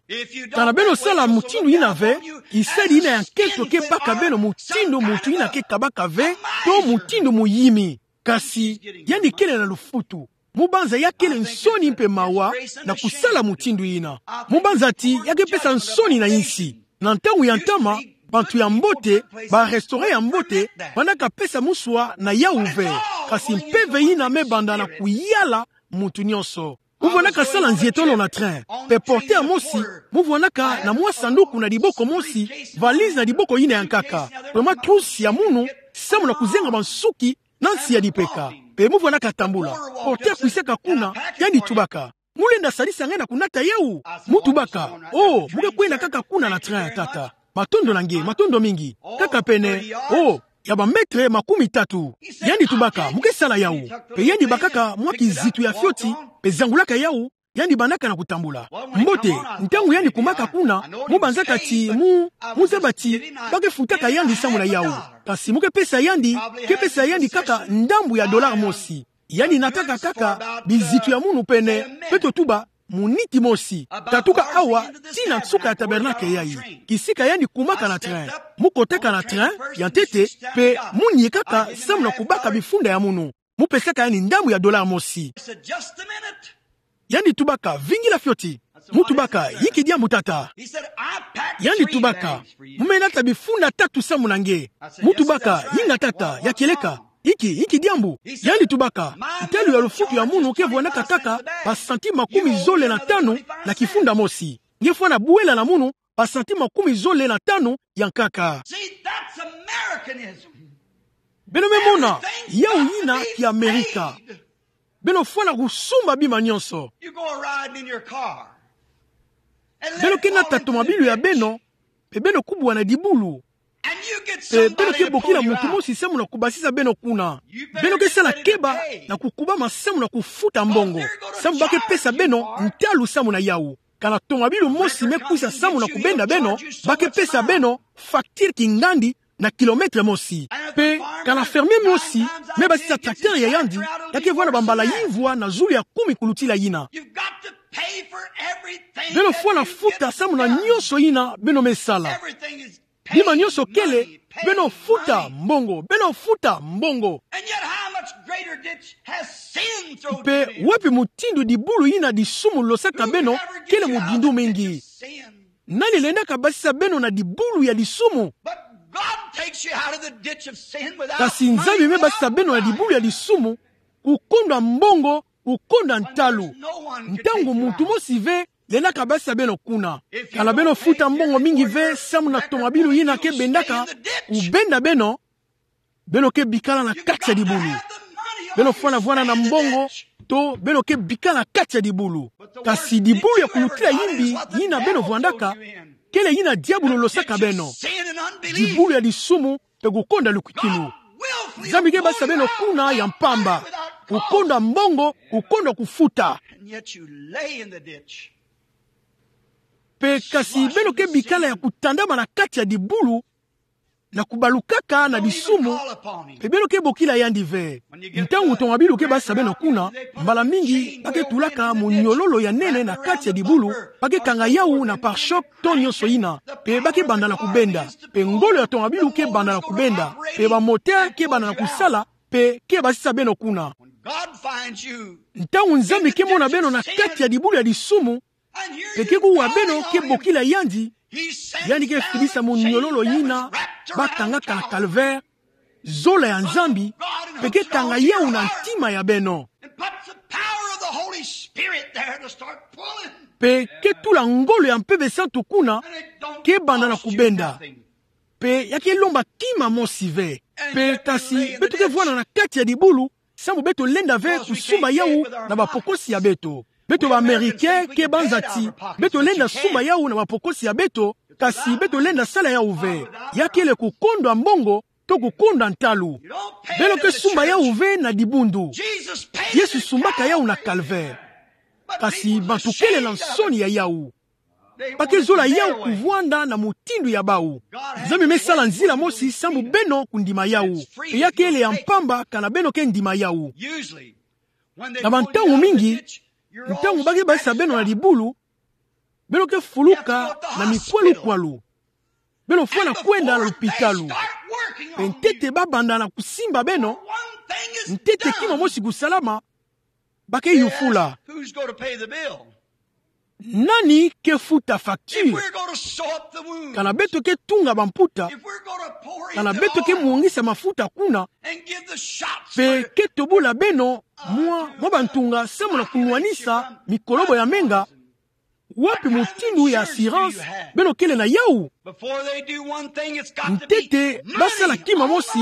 Kana beno sala mutindu yina ve, kisadi yina ya nkento ke baka beno mutindu muntu yina ke kabaka ve, to mutindu muyimi. Kasi, yandi kele na lufutu. Mu banza ya kele nsoni mpe mawa na kusala mutindu yina. Mu banza ti ya ke pesa nsoni na insi. Na ntangu ya ntama, bantu ya mbote, ba restaurant ya mbote, bandaka pesa muswa na yau ve. Kasi mpeve yina me banda na kuyala muntu nyonso. Mu vwandaka sala nzietolo na train. Pe porteur mosi, mu vwandaka na mwa sanduku na diboko mosi, valise na diboko yina ya nkaka. Pe mwa trousse ya munu, samu na kuzenga bansuki, na nsi ya dipeka. Pe mu vwandaka tambula. Porteur kwisaka kuna, yandi tubaka: Mu lenda sadisa nge na kunata yau? Mu tubaka: Oh, mu ke kwenda kaka kuna na train, tata. Matondo na nge, matondo mingi. Kaka pene, oh, ya ba mètre makumi tatu. Yandi tubaka: Mu ke sala yau? Pe yandi bakaka mwa kizitu ya fioti, pe zangulaka yau, yandi bandaka na kutambula. Mbote, ntangu yandi kumaka kuna, mu banzaka ti mu, mu zaba ti ba ke futaka yandi samu na yau. Kasi mu ke pesa yandi, ke pesa yandi kaka ndambu ya dollar mosi. Yandi nataka kaka bizitu ya munu pene, pe totuba, muniti mosi. Tatuka awa, tii na nsuka ya tabernacle yayi. Kisika yandi kumaka na train. Mu kotaka na train ya ntete, pe mu niekaka samu na kubaka bifunda ya munu. Mu pesaka yandi ndambu ya dollar mosi. Yandi tubaka: Vingila fioti. Mu tubaka: Inki diambu, tata? Yandi tubaka: Mu me nata bifunda tatu samu na nge. Mu tubaka: Inga, tata, ya kieleka. Inki, inki diambu? Yandi tubaka: Ntalu ya lufutu ya munu ke vwandaka kaka ba centime makumi zole na tanu na kifunda mosi. Nge fwana bwela na munu ba centime makumi zole na tanu ya nkaka. Beno me mona, yau yina ki Amerika. Beno fwana kusumba bima nyonso. Beno ke nata tomabilu ya beno, pe beno kubwa na dibulu. Pe beno ke bokila muntu mosi samu na kubasisa beno kuna. Beno ke sala keba na kukubama samu na kufuta mbongo, samu ba ke pesa beno ntalu samu na yau. Kana tomabilu mosi me kwisa samu na kubenda beno, ba ke pesa beno facture kingandi na kilomètre mosi. Pe kana fermier mosi me basisa tracteur ya yandi, ya ke vwanda bambala yimvwa na zulu ya kumi kulutila yina. Beno fwana futa samu na nyonso yina beno me sala. Bima nyonso kele, beno futa mbongo, beno futa mbongo. Pe wapi mutindu dibulu yina disumu losaka beno kele mudindu mingi? Nani lendaka basisa beno na dibulu ya disumu? Kasi Nzambi me basisa beno na dibulu ya disumu, kukondwa mbongo, kukondwa ntalu. Ntangu muntu mosi ve lendaka basisa beno kuna. Kana beno futa mbongo mingi ve samu na tomabilu yina ke bendaka kubenda beno, beno ke bikala na kati ya dibulu. Beno fwana vwanda na mbongo, to beno ke bikala kati ya dibulu. Kasi dibulu ya kulutila yimbi yina beno vwandaka, kele yina diabulu losaka beno. Dibulu ya disumu, pe kukondwa lukwikilu. Nzambi ke basisa beno kuna ya mpamba. Kukondwa mbongo, kukondwa kufuta. And yet you lay in the ditch. Pe kasi beno ke bikala ya kutandama na kati ya dibulu, na kubalukaka na disumu, pe beno ke bokila yandi ve. Ntangu ntoma bilu ke basisa beno kuna, mbala mingi ba ke tulaka monyololo ya nene na kati ya dibulu, ba ke kanga yawu na pare-choc to nyonso yina, pe ba ke banda na kubenda, pe ngolo ya ntoma bilu ke banda na kubenda, pe ba moteur ke banda na kusala, pe ke basisa beno kuna. When God finds you, ntangu Nzambi ke mona beno na kati ya dibulu ya disumu, pe ke kuwa beno ke bokila yandi, yandi ke fidisa monyololo yina ba kangaka na calvaire, zola ya Nzambi, pe ke kanga yawu na ntima ya beno. And puts the power of the Holy Spirit there to start pulling. Pe ke tula ngolo ya Mpeve Santu kuna, ke banda na kubenda. Pe ya ke lomba kima mosi ve. Pe kasi beto ke vwanda na kati ya dibulu, sambu beto lenda ve kusumba yawu na bapokosi ya beto. Beto ba Américain ke banzati, beto lenda sumba yawu na bapokosi ya beto, kasi beto lenda sala yawu ve. Ya kele kukondwa mbongo, to kukondwa ntalu. Beno ke sumba yawu ve na dibundu. Yesu sumbaka yawu na calvaire. Kasi bantu kele na nsoni ya yawu. Ba ke zola yawu kuvwanda na mutindu ya bawu. Nzambi me sala nzila mosi sambu beno kundima yawu. Pe ya kele ya mpamba kana beno ke ndima yawu. Na bantangu mingi, ntangu ba ke basisa beno na dibulu, beno ke fuluka na mikwalukwalu. Beno fwana kwenda na lupitalu. Pe ntete ba banda na kusimba beno, ntete kima mosi kusalama, ba ke yufula: Who's going to pay the bill? Nani ke futa facture? If we're going to sew up the wound, kana beto ke tunga bamputa, if we're going to pour in the oil, kana beto ke mongisa mafuta kuna, and give the shots, pe ke tobola beno mwa, mwa bantunga samu na kunwanisa mikolobo ya menga, wapi mutindu ya assurance beno kele na yawu? Before they do one thing, it's got to be, ntete ba sala kima mosi,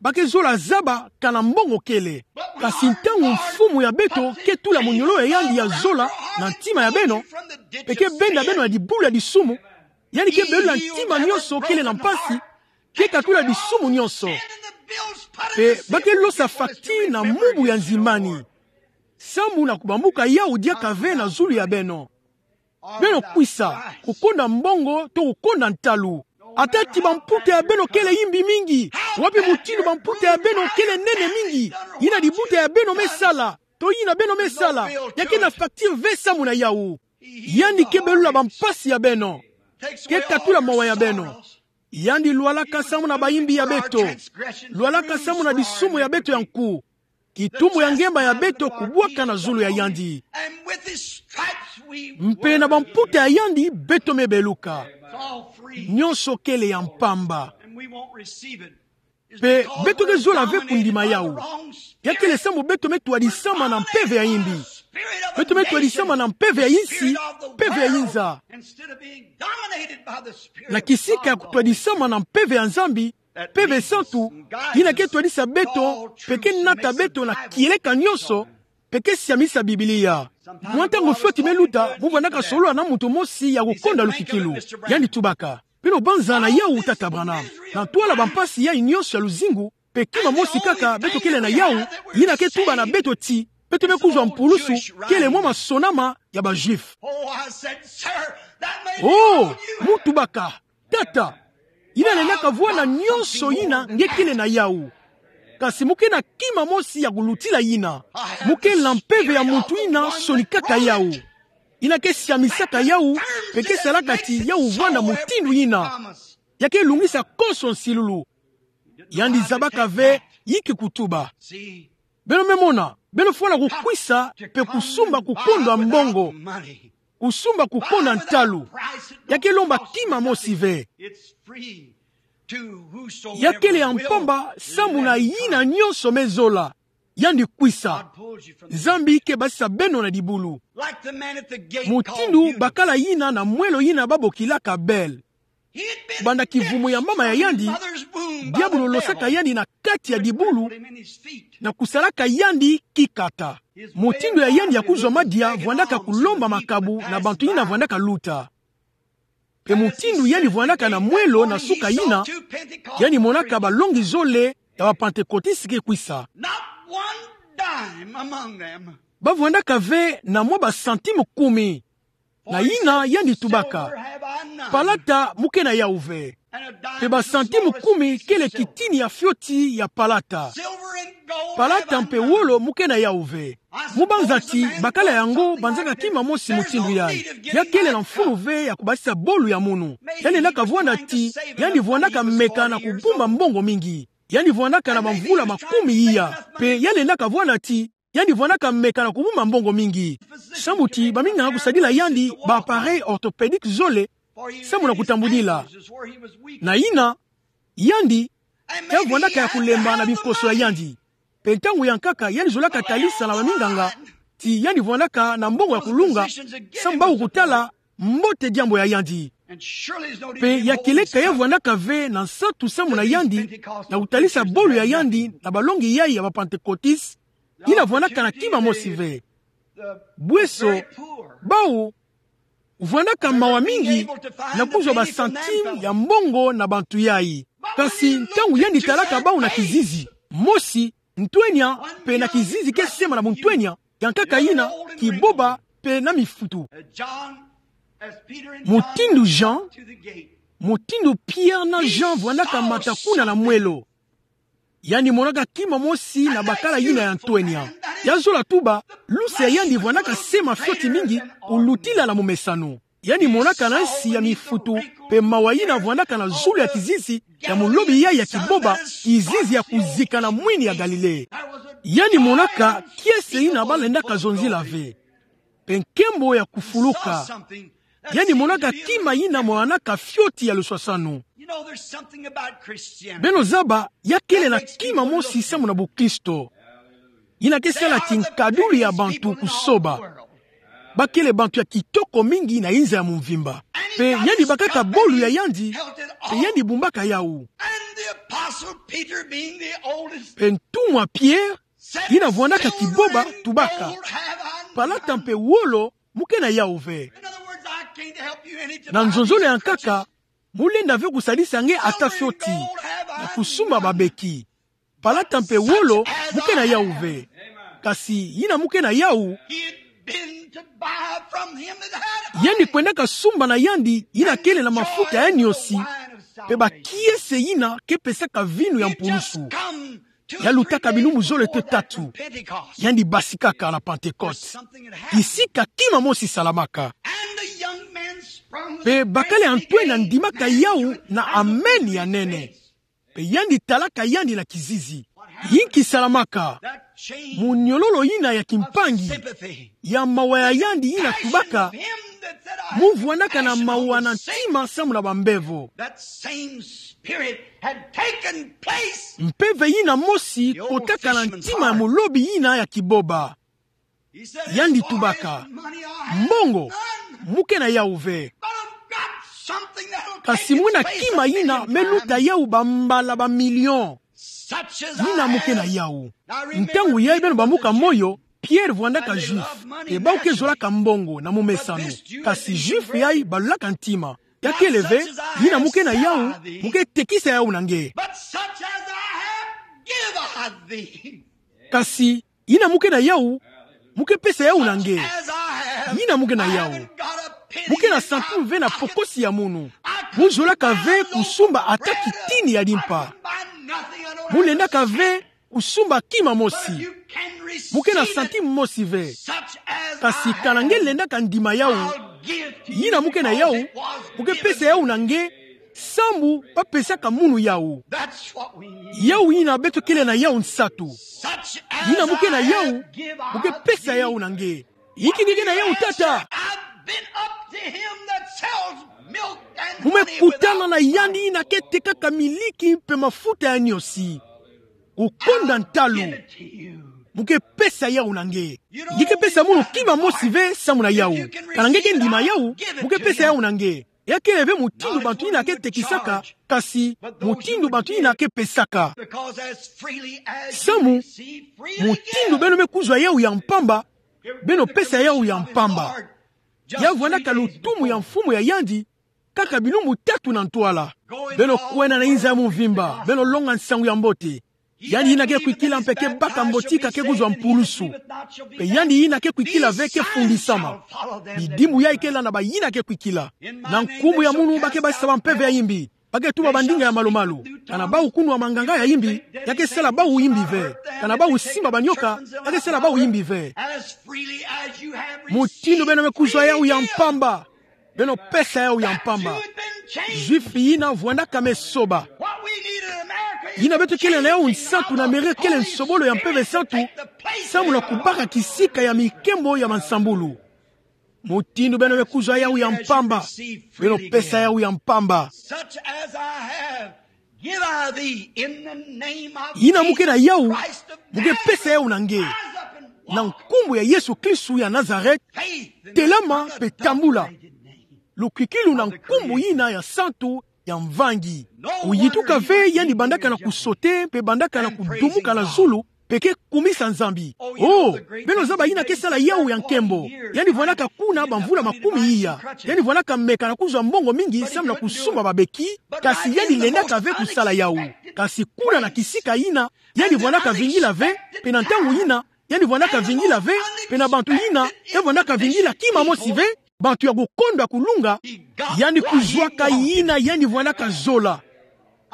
ba ke zola zaba kana mbongo kele. Kasi ntangu Mfumu ya beto ke tula monyololo ya yandi ya zola na ntima ya beno, pe ke benda beno na dibulu ya disumu, yandi ke belula ntima nyonso kele na mpasi, ke katula disumu nyonso. Pe ba ke losa facture na mubu ya nzimbani, sambu na kubambuka yawu diaka ve na zulu ya beno. Beno kwisa, kukonda mbongo to kukonda ntalu. Ata ti bamputa ya beno kele yimbi mingi, wapi mutindu bamputa ya beno kele nene mingi, yina dibuta ya beno me sala, to yina beno me sala, ya ke na facture ve samu na yawu. Yandi ke belula bampasi ya beno, ke katula mawa ya beno. Yandi lwalaka samu na bayimbi ya beto, lwalaka samu na disumu ya beto ya nku, kitumu ya ngemba ya beto kubwaka na zulu ya yandi. Mpe na bamputa ya yandi beto me beluka. Nyonso kele ya mpamba. Pe beto ke zola ve kundima yawu. Ya kele samu beto me twadisama na mpeve ya yimbi. Beto me twadisama na mpeve ya insi, mpeve ya inza. Na kisika ya kutwadisama na mpeve ya Nzambi, Mpeve Santu, yina ke twadisa beto, pe ke nata beto na kieleka nyonso, pe ke siamisa Biblia. Mwa ntangu fioti me luta, mu vwandaka solola na muntu mosi ya kukonda lukikilu. Yandi tubaka: Beno banza na yawu, Tata Branham? Na ntwala bampasi yayi nyonso ya luzingu, pe kima mosi kaka beto kele na yawu, yina ke tuba na beto ti beto me kuzwa mpulusu, kele mwa masonama ya ba Juifs. Oh, mu tubaka: Tata, yina lenda kavwanda nyonso yina nge kele na yawu. Kasi mu ke na kima mosi ya kulutila yina. Mu ke na mpeve ya muntu yina sonikaka yawu, yina ke siamisaka yawu, pe ke salaka ti yawu vwanda mutindu yina. Ya ke lungisa konso nsilulu. Yandi zabaka ve yinki kutuba. Beno me mona, beno fwana kukwisa pe kusumba kukondwa mbongo, kusumba kukondwa ntalu. Ya ke lomba kima mosi ve. Ya kele ya mpamba samu na yina nyonso me zola. Yandi kwisa. Nzambi ke basisa beno na dibulu. Mutindu bakala yina na mwelo yina babokilaka Bel. Banda kivumu ya mama ya yandi, diabulu losaka yandi na kati ya dibulu, na kusalaka yandi kikata. Mutindu ya yandi ya kuzwa madia vwandaka kulomba makabu na bantu yina vwandaka luta. Pe mutindu yandi vwandaka na mwelo na suka yina, yandi monaka balongi zole ya ba Pantekotiste ke kwisa. Ba vwandaka ve na mwa ba centime kumi. Na yina yandi tubaka: Palata mu ke na yawu ve. Mpe ba centime kumi kele kitini ya fioti ya palata. Palata mpe wolo mu ke na yawu ve. Mu banza ti bakala yango banzaka kima mosi mutindu yayi. Ya kele na mfunu ve ya kubasisa bolu ya munu. Yandi lenda kavwanda ti yandi vwandaka meka na kubumba mbongo mingi. Yandi vwandaka na bamvula makumi iya. Mpe yandi lenda kavwanda ti yandi vwandaka meka na kubumba mbongo mingi. Sambu ti baminganga kusadila yandi ba appareil orthopédique zole, sambu na kutambudila. Na yina, yandi, ya vwandaka ya kulemba na binkoso ya yandi. Mpe ntangu ya nkaka, yandi zolaka talisa na baminganga ti yandi vwandaka na mbongo ya kulunga, sambu ba kutala mbote diambu ya yandi. Mpe ya kele ka ya vwandaka ve na nsatu sambu na yandi, na kutalisa bolu ya yandi na balongi yayi ya ba Pantekotisi, yina vwandaka na kima mosi ve. Bweso, bawu vwandaka mawa mingi na kuzwa ba centime ya mbongo na bantu yayi. Kasi ntangu yandi talaka bawu na kizizi, mosi, ntwenya, mpe na kizizi ke sema na buntwenya, ya nkaka yina, kiboba, mpe na mifutu. Mutindu Jean, mutindu Pierre na Jean vwandaka mata kuna na mwelo, yandi monaka kima mosi na bakala yina ya ntwenya. Ya zola tuba, lusa ya yandi vwandaka sema fioti mingi, kulutila na mumesano. Yandi monaka na nsi ya mifutu, mpe mawa yina vwandaka na zulu ya kizizi ya mulobi yayi ya kiboba, kizizi ya kuzika na mwini ya Galilée. Yandi monaka kiese yina ba lendaka zonzila ve. Mpe nkembo ya kufuluka. Yandi monaka kima yina monanaka fioti ya luswasanu. Beno zaba, ya kele na kima mosi sambu na bukristo. Yina ke sala ti nkadulu ya bantu kusoba. Ba kele bantu ya kitoko mingi na inza ya mumvimba. Mpe yandi bakaka bolu ya yandi, mpe yandi bumbaka yawu. Mpe ntumwa Pierre, yina vwandaka kiboba, tubaka: Palata mpe wolo mu ke na yawu ve. Na nzonzolo ya nkaka, mu lenda ve kusadisa nge ata fioti na kusumba babeki. Palata mpe wolo mu ke na yawu ve. Kasi yina mu ke na yawu, yandi kwendaka sumba na yandi yina kele na mafuta ya niosi, mpe bakiese yina ke pesaka vinu ya mpulusu. Ya lutaka bilumbu zole to tatu. Yandi basikaka na Pantekote. Isika kima mosi salamaka. Mpe bakala ya ntwenya ndimaka yawu na amen ya nene. Mpe yandi talaka yandi na kizizi. Inki salamaka? Muniololo yina ya kimpangi, ya mawa ya yandi yina tubaka: Mu vwandaka na mawa na ntima sambu na bambevo. Mpeve yina mosi kotaka na ntima ya mulobi yina ya kiboba. Yandi tubaka: Mbongo mu ke na yawu ve. Kasi mwina kima yina me luta yawu bambala ba million. Yina mu ke na yawu. Ntangu yayi, beno bambuka moyo, Pierre vwandaka juif, mpe bawu ke zolaka mbongo na mumesano. Kasi juif yayi balulaka ntima. Ya kele ve: Yina mu ke na yawu, mu ke tekisa yawu na nge. Kasi yina mu ke na yawu, mu ke pesa yawu na nge. Yina mu ke na yawu, mu ke na centime ve na pokosi ya munu. Mu zolaka ve kusumba ata kitini ya limpa. Mu lendaka ve kusumba kima mosi. Mu ke na centime mosi ve. Kasi kana nge lendaka ndima yawu, yina mu ke na yawu, mu ke pesa yawu na nge, sambu ba pesaka munu yawu. Yawu yina beto kele na yawu nsatu. Yina mu ke na yawu, mu ke pesa yawu na nge. Inki nge ke na yawu, tata? Mu me kutana na yandi yina ke tekaka miliki mpe mafuta ya niosi. Kukonda ntalu. Mu ke pesa yawu na nge. Nge ke pesa munu kima mosi ve sambu na yawu. Kana nge ke ndima yawu, mu ke pesa yawu na nge. Ya kele ve mutindu bantu yina ke tekisaka, kasi mutindu bantu yina ke pesaka. Sambu mutindu beno me kuzwa yawu ya mpamba, beno pesa yawu ya mpamba. Ya vwandaka lutumu ya mfumu ya yandi, kaka bilumbu tatu na ntwala. Beno kwenda na inza ya mumvimba, beno longa nsangu ya mbote. Yandi yina ke kwikila mpe ke baka mbotika ke kuzwa mpulusu. Mpe yandi yina ke kwikila ve ke fundisama. Bidimbu yayi ke landa bayina ke kwikila. Na nkumbu ya munu ba ke basisa bampeve ya yimbi. Ba ke tuba bandinga ya malu-malu. Kana bawu kunwa manganga ya yimbi, ya ke sala bawu yimbi ve. Kana bawu simba banioka, ya ke sala bawu yimbi ve. Mutindu beno me kuzwa yawu ya mpamba, beno pesa yawu ya mpamba. Juif yina vwandaka me soba. Yina beto kele na yawu nsantu na Amerika kele nsobolo ya Mpeve Santu, samu na kubaka kisika ya minkembo ya mansambulu. Mutindu beno me kuzwa yawu ya mpamba, beno pesa yawu ya mpamba. Such as I have, give I thee in the name of Yina mu ke na yawu, mu ke pesa yawu na nge. Na nkumbu ya Yesu Kristu ya Nazareth, telama mpe tambula. Lukwikilu na nkumbu yina ya santu ya mvangi. Oyitu ka ve yandi bandaka na kusote mpe bandaka na kudumuka na zulu, mpe ke kumisa Nzambi. Oh, beno zaba yina ke sala yawu ya nkembo. Yandi vwandaka kuna bamvula makumi iya. Yandi vwandaka meka na kuzwa mbongo mingi samu na kusumba babeki, kasi yandi lendaka ve kusala yawu. Kasi kuna na kisika yina, yandi vwandaka vingila ve, mpe na ntangu yina, yandi vwandaka vingila ve, mpe na bantu yina, e vwandaka vingila kima mosi ve, bantu ya kukondwa kulunga, yandi kuzwaka yina yandi vwandaka zola.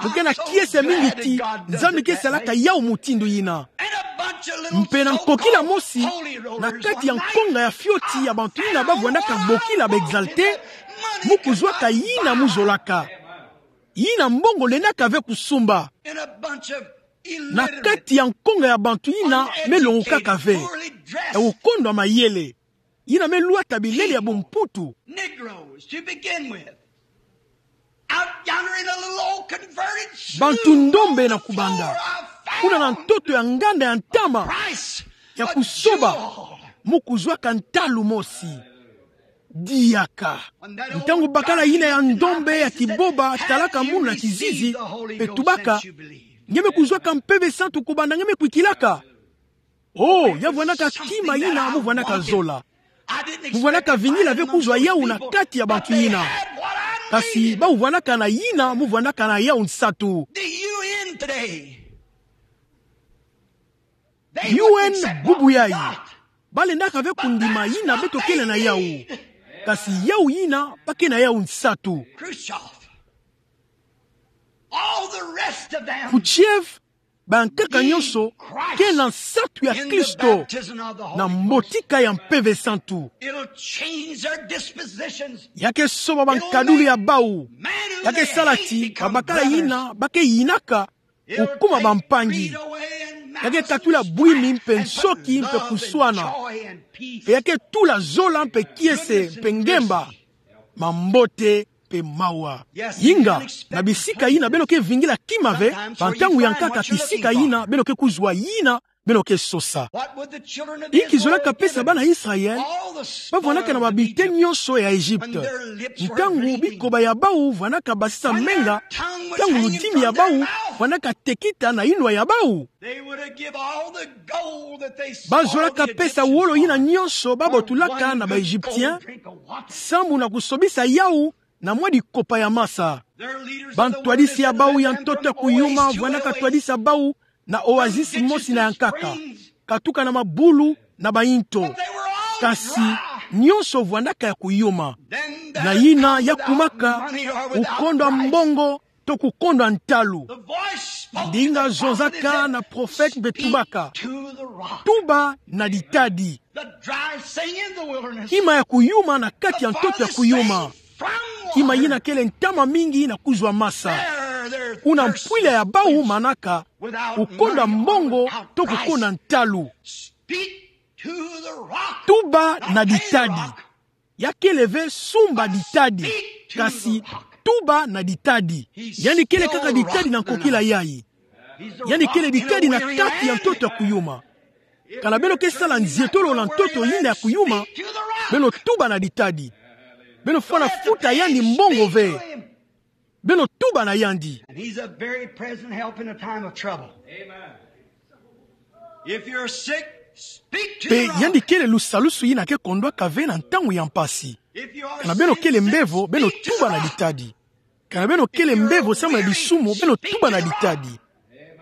Mu ke na kiese mingi ti Nzambi ke salaka yawu mutindu yina. Mpe na nkokila mosi, na kati ya nkonga ya fioti ya bantu yina ba vwandaka bokila ba exalté, mu kuzwaka yina mu zolaka. Yina mbongo lendaka ve kusumba. Na kati ya nkonga ya bantu yina me longokaka ve, ya kukondwa mayele. Yina me lwata bilele ya bumputu. Negroes, to begin with. Out yonder in a little old converted slough. Bantu ndombe na kubanda. Kuna na ntoto ya nganda ya ntama. Price, ya kusoba. Mu kuzwaka ntalu mosi. Diaka. Ntangu bakala yina ya ndombe ya kiboba talaka munu na kizizi, mpe tubaka: Nge me kuzwaka Mpeve Santu kubanda nge me kwikilaka? Oh, ya vwandaka kima yina mu vwandaka zola. Mu vwandaka vingila ve kuzwa yawu na kati ya bantu yina. Kasi bawu vwandaka na yina mu vwandaka na yawu nsatu. The U N today. U N bubu yayi. Ba lendaka ve kundima yina beto kele na yawu. Kasi yawu yina ba ke na yawu nsatu. Khrushchev. All the rest of them. Khrushchev, bankaka nyonso ke na nsatu ya Kristo, na mbotika ya Mpeve Santu. Ya ke soba bankadulu ya bawu. Ya ke sala ti babakala yina ba ke yinaka kukuma bampangi. Ya ke katula bwimi mpe nsoki mpe kuswana. Mpe ya ke tula zola mpe kiese mpe ngemba. Mambote mpe mawa. Inga, na bisika yina beno ke vingila kima ve, bantangu ya nkaka kisika yina beno ke kuzwa yina beno ke sosa. Inki zolaka pesa bana Israel ba vwanaka na babiten nyonso ya Egypte? Ntangu bikoba ya bawu vwanaka basisa menga, ntangu ludimi ya bawu vwanaka tekita na inwa ya bawu. Ba zolaka pesa wolo yina nyonso ba botulaka na ba Egyptien, sambu na kusobisa yawu na mwa dikopa ya masa. Bantwadisi ya bawu ya ntoto ya kuyuma vwanaka twadisa bawu na oasis mosi na ya nkaka, katuka na mabulu na bainto. Kasi nyonso vwanaka ya kuyuma. Na yina ya kumaka, kukondwa mbongo to kukondwa ntalu. Ndinga zonzaka na prophète mpe tubaka: Tuba na ditadi. Kima ya kuyuma na kati ya ntoto ya kuyuma. Kima yina kele ntama mingi na kuzwa masa. Kuna mpwila ya bawu manaka, kukondwa mbongo to kukondwa ntalu. Tuba na ditadi. Ya kele ve sumba ditadi, kasi tuba na ditadi. Yandi kele kaka ditadi na nkokila yayi. Yandi kele ditadi na kati ya ntoto ya kuyuma. Kana beno ke sala nzietolo na ntoto yina ya kuyuma, beno tuba na ditadi. Beno fwana futa yandi mbongo ve. Beno tuba na yandi. And he's a very present help in a time of trouble. Amen. If you're sick, speak to the rock. Mpe yandi kele lusalusu yina ke kondwaka ve na ntangu ya mpasi. Kana beno kele mbevo, beno tuba na ditadi. Kana beno kele mbevo samu na disumu, beno tuba na ditadi.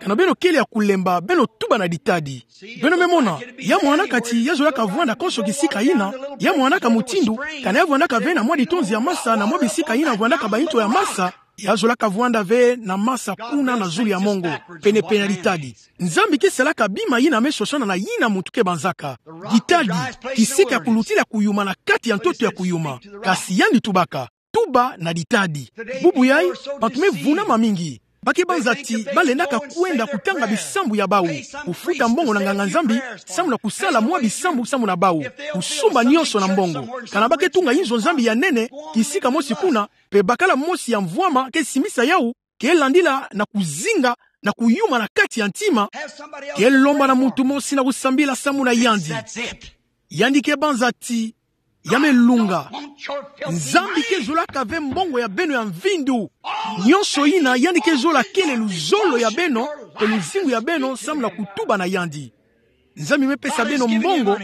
Kana beno kele ya kulemba, beno tuba na ditadi. Beno me mona, ya mwanakati ya zolaka vwanda konso kisika yina, ya mwanaka mutindu, kana ya vwandaka ve na mwa litonzi ya masa na mwa bisika yina vwandaka bainto ya masa, ya zolaka vwanda ve na masa kuna na zulu ya mongo, pene-pene ya ditadi. Nzambi ke salaka bima yina me sosana na yina muntu ke banzaka. Ditadi, kisika ya kulutila kuyuma na kati ya ntoto ya kuyuma. Kasi yandi tubaka, tuba na ditadi. Bubu yayi, bantu me vunama mingi. Ba ke banza ti ba lendaka kwenda kutanga bisambu ya bawu, kufuta mbongo na nganga-Nzambi, samu na kusala mwa bisambu samu na bawu, kusumba nionso na mbongo. Kana ba ke tunga inzo-Nzambi ya nene, kisika mosi kuna, mpe bakala mosi ya mvwama ke simbisa yawu, ke landila na kuzinga, na kuyuma na kati ya ntima, ke lomba na muntu mosi na kusambila samu na yandi. Yandi ke banza ti, ya me lunga. Nzambi ke zolaka ve mbongo ya beno ya mvindu. Nionso yina yandi ke zola kele luzolo ya beno, mpe luzingu ya beno samu na kutuba na yandi. Nzambi me pesa beno mbongo,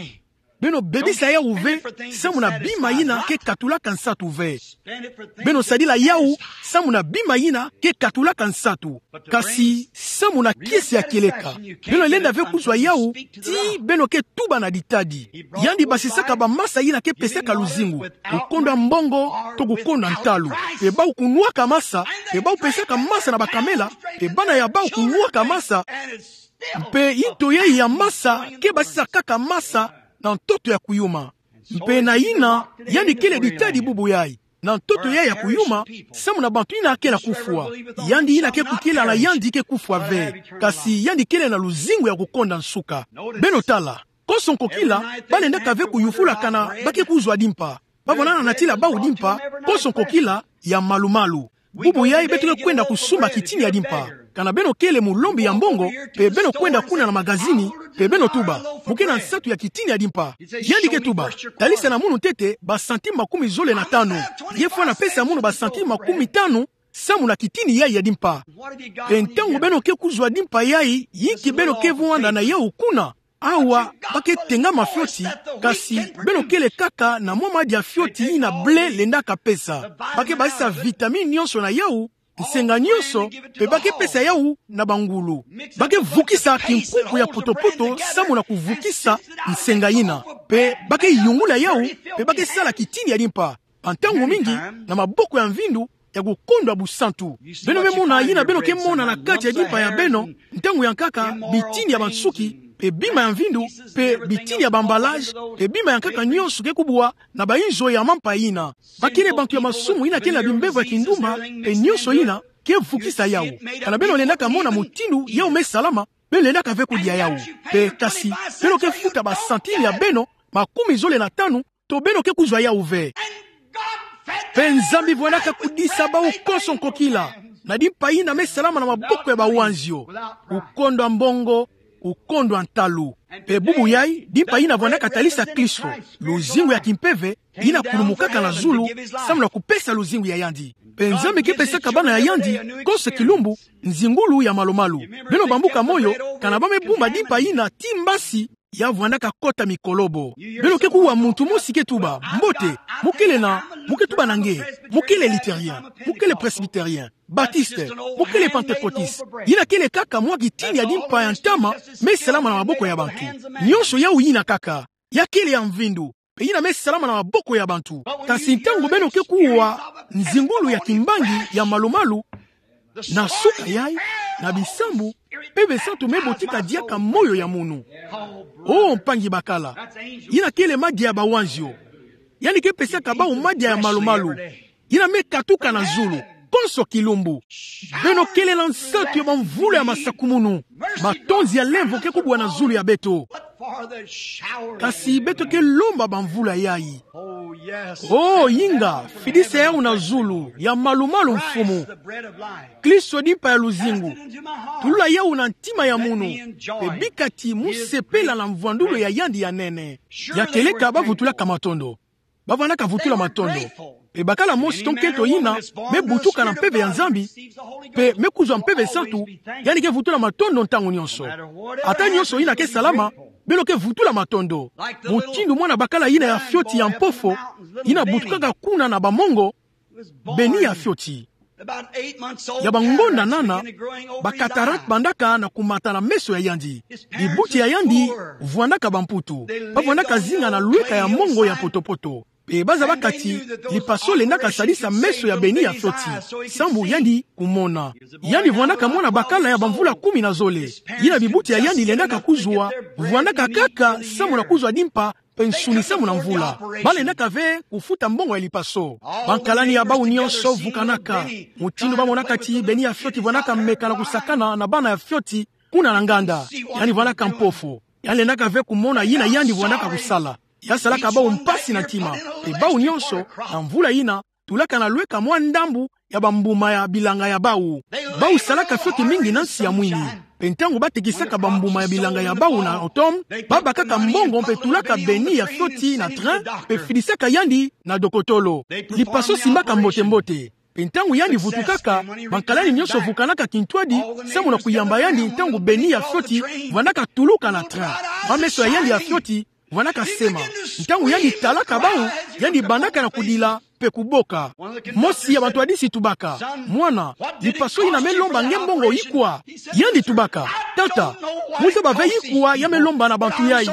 beno bebisa yawu ve, samu na bima yina ke katulaka nsatu ve. Beno sadila yawu, samu na bima yina ke katulaka nsatu. Kasi samu na kiese ya kieleka. Beno lenda ve kuzwa yawu, ti beno ke tuba na ditadi. Yandi basisaka bamasa yina ke pesaka luzingu. Kukondwa mbongo, to kukondwa ntalu. Mpe bawu kunwaka masa, mpe bawu pesaka masa na bakamela, mpe bana ya bawu kunwaka masa, mpe into yayi ya masa ke basisa kaka masa na ntoto ya kuyuma. Mpe na yina, yandi kele ditadi bubu yayi. Na ntoto yayi ya kuyuma, samu na bantu yina ke na kufwa. Yandi yina ke kukila na yandi ke kufwa ve. Kasi yandi kele na luzingu ya kukonda nsuka. Beno tala, konso nkokila, ba lendaka ve kuyufula kana ba ke kuzwa dimpa. Ba vwanda na natila bawu dimpa, konso nkokila, ya malu-malu. Bubu yayi beto ke kwenda kusumba kitini ya dimpa. Kana beno kele mulombi ya mbongo, mpe beno kwenda kuna na magazini, mpe beno tuba: Mu ke na nsatu ya kitini ya dimpa? Yandi ke tuba: Talisa na munu ntete ba centime makumi zole na tanu. Ye fwana pesa munu ba centime makumi tanu, samu na kitini yayi ya dimpa. Mpe ntangu beno ke kuzwa dimpa yayi, yinki beno ke vwanda na yawu kuna? Awa, ba ke tengama fioti, kasi beno kele kaka na mwa madia fioti yina blé lendaka pesa. Ba ke basisa vitamine nionso na yawu, nsenga nionso, mpe ba ke pesa yawu na bangulu. Ba ke vukisa kinkuku ya poto-poto samu na kuvukisa nsenga yina. Mpe ba ke yungula yawu, mpe ba ke sala kitini ya dimpa. Bantangu mingi, na maboko ya mvindu, ya kukondwa busantu. Beno me mona yina beno ke mona na kati ya dimpa ya beno, ntangu ya nkaka, bitini ya bansuki, mpe bima ya mvindu, mpe bitini ya ba-emballage, mpe bima ya nkaka nionso ke kubwa na bainzo ya mampa yina. Ba kele bantu ya masumu yina kele na bimbevo ya kindumba, mpe nionso yina ke vukisa yawu. Kana beno lendaka mona mutindu yawu me salama, beno lendaka ve kudia yawu. Mpe kasi, beno ke futa ba centime ya beno makumi zole na tanu, to beno ke kuzwa yawu ve. Mpe Nzambi vwandaka kudisa bawu konso nkokila na dimpa yina me salama na maboko ya bawanzio. Kukondwa mbongo, kukondwa ntalu. Mpe bubu yayi, dimpa yina vwandaka talisa Klisto, luzingu ya kimpeve, yina kulumukaka na zulu, samu na kupesa luzingu ya yandi. Mpe Nzambi ke pesaka bana ya yandi, konso kilumbu, nzingulu ya malu-malu. Beno bambuka moyo, kana ba me bumba dimpa yina ti mbasi, ya vwandaka kota mikolobo. Beno ke kuwa muntu mosi ke tuba: Mbote, mu kele na, mu ke tuba na nge, mu kele luthérien, mu kele presbytérien, baptiste, mu kele pentecôtiste. Yina kele kaka mwa kitini ya dimpa ya ntama, me salama na maboko ya bantu. Nionso yawu yina kaka. Ya kele ya mvindu, mpe yina me salama na maboko ya bantu. Kasi ntangu beno ke kuwa nzingulu ya kimbangi ya malu-malu, na suka yayi, na bisambu, Mpeve Santu me botika diaka moyo ya munu. Oh, mpangi bakala. Yina kele madia ya bawanzio. Yandi ke pesaka bawu madia ya malu-malu. Yina me katuka na zulu, konso kilumbu. Beno kele na nsatu ya bamvula ya masakumunu. Matonzi ya lemvo ke kubwa na zulu ya beto. Kasi beto ke lomba bamvula yayi. Oh, inga, fidisa yawu na zulu, ya malu-malu, Mfumu. Klisto, dimpa ya luzingu. Tulula yawu na ntima ya munu. Mpe bika ti mu sepela na mvwandulu ya yandi ya nene. Ya kieleka ba vutulaka matondo. Ba vwandaka vutula matondo. Mpe bakala mosi to nkento yina me butuka na mpeve ya Nzambi, mpe me kuzwa Mpeve Santu, yandi ke vutula matondo ntangu nionso. Ata nionso yina ke salama, beno ke vutula matondo. Mutindu mwana bakala yina ya fioti ya mpofo, yina butukaka kuna na bamongo, Beni ya fioti. Ya bangonda nana, ba cataracte bandaka na kumata na meso ya yandi. Bibuti ya yandi vwandaka bamputu. Ba vwandaka zinga na lweka ya mongo ya poto-poto. Mpe ba zabaka ti lipaso lendaka sadisa meso ya Beni ya fioti, sambu yandi kumona. Yandi vwandaka mwana bakala ya bamvula kumi na zole. Yina bibuti ya yandi lendaka kuzwa, vwandaka kaka sambu na kuzwa dimpa, mpe nsuni sambu na mvula. Ba lendaka ve kufuta mbongo ya lipaso. Bankalani ya bawu nyonso vukanaka. Mutindu ba monaka ti Beni ya fioti vwandaka meka na kusakana na bana ya fioti kuna na nganda. Yandi vwandaka mpofo. Ya lendaka ve kumona yina yandi vwandaka kusala. Ya salaka bawu mpasi na ntima. Mpe bawu nyonso, na mvula yina, tulaka na lweka mwa ndambu ya bambuma ya bilanga ya bawu. Bawu salaka fioti mingi na nsi ya mwini. Mpe ntangu ba tekisaka bambuma ya bilanga ya bawu na automne, ba bakaka mbongo mpe tulaka Beni ya fioti na train, mpe fidisaka yandi na dokotolo. Lipaso simbaka mbote-mbote. Mpe ntangu yandi vutukaka, bankalani nyonso vukanaka kintwadi, sambu na kuyamba yandi ntangu Beni ya fioti vwandaka tuluka na train. Mwa meso ya yandi ya fioti vwandaka sema. Ntangu yandi talaka bawu, yandi bandaka na kudila mpe kuboka. Mosi ya bantwadisi tubaka: "Mwana, lipaso yina me lomba nge mbongo ikwa?" Yandi tubaka: "Tata, mu zaba ve ikwa ya me lomba na bantu yayi.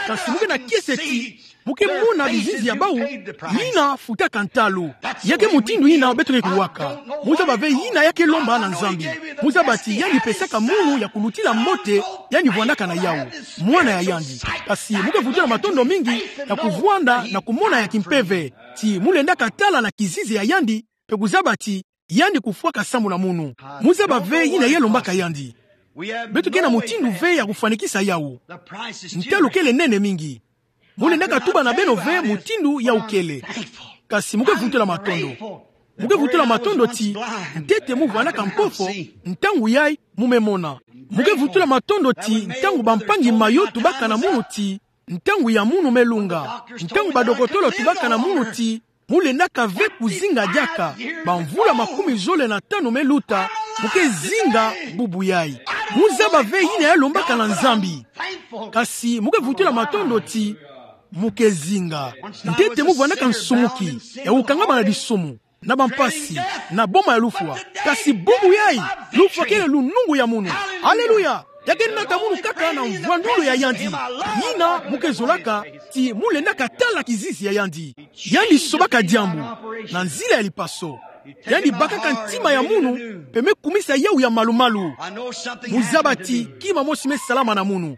Kasi mu ke na kiese ti mu ke mona bizizi ya bawu yina futaka ntalu." Ya ke mutindu yina beto ke kuwaka. Mu zaba ve yina ya ke lomba na Nzambi. Mu zaba ti yandi pesaka munu ya kulutila mbote, yandi vwandaka na yawu, mwana ya yandi. Kasi mu ke vutula matondo mingi na kuvwanda na kumona ya kimpeve, ti mu lendaka tala na kizizi ya yandi, mpe kuzaba ti yandi kufwaka sambu na munu. Mu zaba ve yina ya lombaka yandi. Beto ke na mutindu ve ya kufwanikisa yawu. Ntalu kele nene mingi. Mu lendaka tuba na beno ve mutindu yawu kele. Kasi mu ke vutula matondo. Mu ke vutula matondo ti ntete mu vwandaka mpofo, ntangu yayi mu me mona. Mu ke vutula matondo ti ntangu bampangi mayo tubaka na munu ti ntangu ya munu me lunga. Ntangu badokotolo tubaka na munu ti mu lendaka ve kuzinga diaka, bamvula makumi zole na tanu me luta, mu ke zinga bubu yayi. Mu zaba ve yina ya lombaka na Nzambi. Kasi mu ke vutula matondo ti mu ke zinga. Ntete mu vwandaka nsumuki, ya kukangama na disumu, na bampasi, na boma ya lufwa. Kasi bubu yayi, lufwa kele lunungu ya munu. Aleluya! Ya ke nata munu kaka na mvwandulu ya yandi. Yina mu ke zolaka, ti mu lendaka tala kizizi ya yandi. Yandi sobaka diambu na nzila ya lipaso. Yandi bakaka ntima ya munu, mpe me kumisa yawu ya malu-malu. Mu zaba ti kima mosi me salama na munu.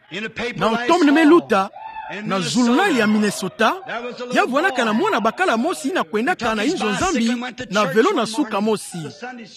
Na automne me luta, na zulunali ya Minnesota, ya vwandaka na mwana bakala mosi yina kwendaka na inzo Nzambi na velo na suka mosi,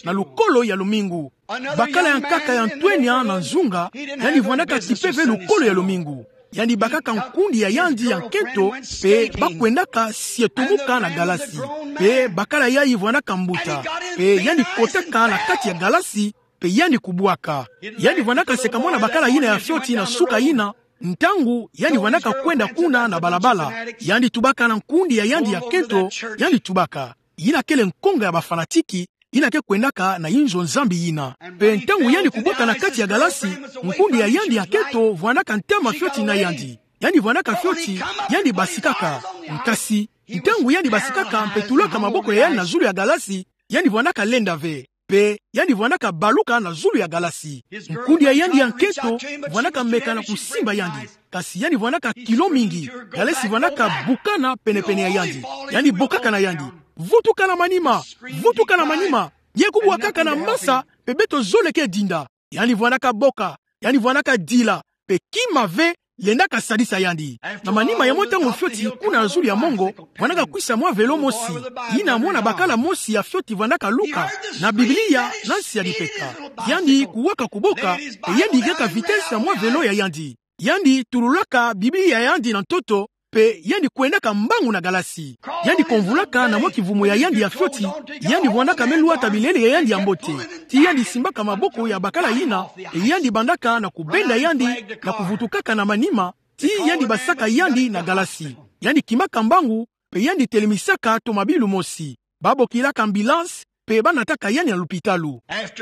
na lukolo ya lumingu. Bakala ya nkaka ya ntwenya na nzunga, yandi vwandaka tipe ve lukolo ya lumingu. Yandi bakaka nkundi ya yandi ya nkento, mpe ba kwendaka sietumuka na galasi. Mpe bakala yayi vwandaka mbuta. Mpe yandi kotaka na kati ya galasi, mpe yandi kubwaka. Yandi vwandaka seka mwana bakala yina ya fioti na suka yina, ntangu yandi vwandaka kwenda kuna na balabala. Yandi tubaka na nkundi ya yandi ya nkento, yandi tubaka. Yina kele nkonga ya bafanatiki, yina ke kwendaka na inzo Nzambi yina. Mpe ntangu yandi kubwaka na kati ya galasi, nkundi ya yandi ya nkento vwandaka ntama fioti na yandi. Yandi vwandaka fioti, yandi basikaka. Kasi ntangu yandi basikaka mpe tulaka maboko ya yandi na zulu ya galasi, yandi vwandaka lenda ve. Mpe yandi vwandaka baluka na zulu ya galasi. Nkundi ya yandi ya nkento vwandaka meka na kusimba yandi. Kasi yandi vwandaka kilo mingi, galasi vwandaka bukana pene-pene ya yandi. Yandi bokaka na yandi: "Vutuka na manima! Vutuka na manima! Ye kubwakaka na masa, mpe beto zole ke dinda." Yandi vwandaka boka, yandi vwandaka dila, mpe kima ve lendaka sadisa yandi. Na manima ya mwa ntangu fioti kuna na zulu ya mongo, vwandaka kwisa mwa velo mosi, yina mwana bakala mosi ya fioti vwandaka luka, na Biblia na nsi ya lipeka. Yandi kuwaka kuboka, mpe yandi kaka vitesse na mwa velo ya yandi. Yandi tululaka Biblia ya yandi na ntoto, mpe yandi kwendaka mbangu na galasi. Yandi komvulaka na mwa kivumu ya yandi ya fioti, yandi vwandaka me lwata bilele ya yandi ya mbote. Ti yandi simbaka maboko ya bakala yina, mpe yandi bandaka na kubenda yandi, na kuvutukaka na manima, ti yandi basaka yandi na galasi. Yandi kimaka mbangu, mpe yandi telemisaka tomabilu mosi. Ba bokilaka ambulance, mpe ba nataka yandi na lupitalu.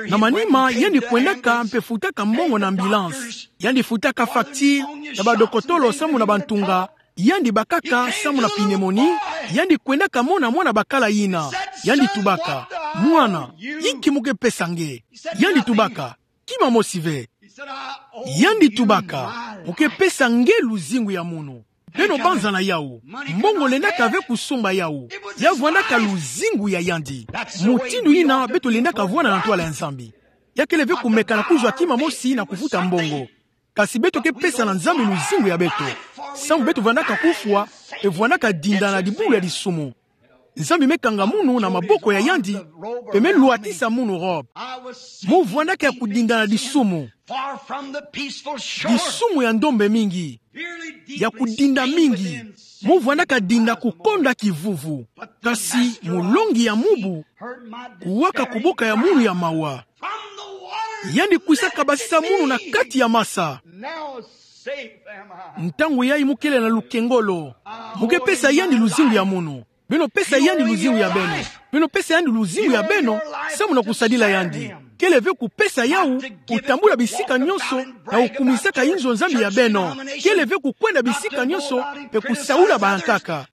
Na manima, yandi kwendaka mpe futaka mbongo na ambulance. Yandi futaka facture ya badokotolo sambu na bantunga. Yandi bakaka sambu na pneumonie. Yandi kwendaka mona mwana bakala yina. Yandi tubaka: Mwana, inki mo ke pesa nge? Yandi tubaka: Kima mosi ve. Yandi tubaka: Mo ke pesa nge luzingu ya munu. Beno banzana yawu. Mbongo lendaka ve kusumba yawu. Ya vwandaka luzingu ya yandi. Mutindu yina beto lendaka vwanda na ntwala ya Nzambi. Ya kele ve kumekana kuzwa kima mosi na kufuta mbongo. Kasi beto ke pesa na Nzambi luzingu ya beto. Samu beto vwandaka kufwa, mpe vwandaka dinda na dibulu ya disumu. Nzambi me kanga munu na maboko ya yandi, mpe me lwatisa munu robe. Mo vwandaka ya kudinda na disumu. Disumu ya ndombe mingi. Ya kudinda mingi. Mo vwandaka dinda kukonda kivuvu. Kasi mulongi ya mubu kuwaka kuboka ya munu ya mawa. Yandi kwisaka basisa munu na kati ya masa. Ntangu yayi mo kele na lukengolo. Mo ke pesa yandi luzingu ya munu. Beno pesa yandi luzingu ya beno. Beno pesa yandi luzingu ya beno, samu na kusadila yandi. Kele ve kupesa yawu, kutambula bisika nyonso, na kukumisaka inzo nzambi ya beno. Kele ve kukwenda bisika nyonso, mpe kusaula bayankaka.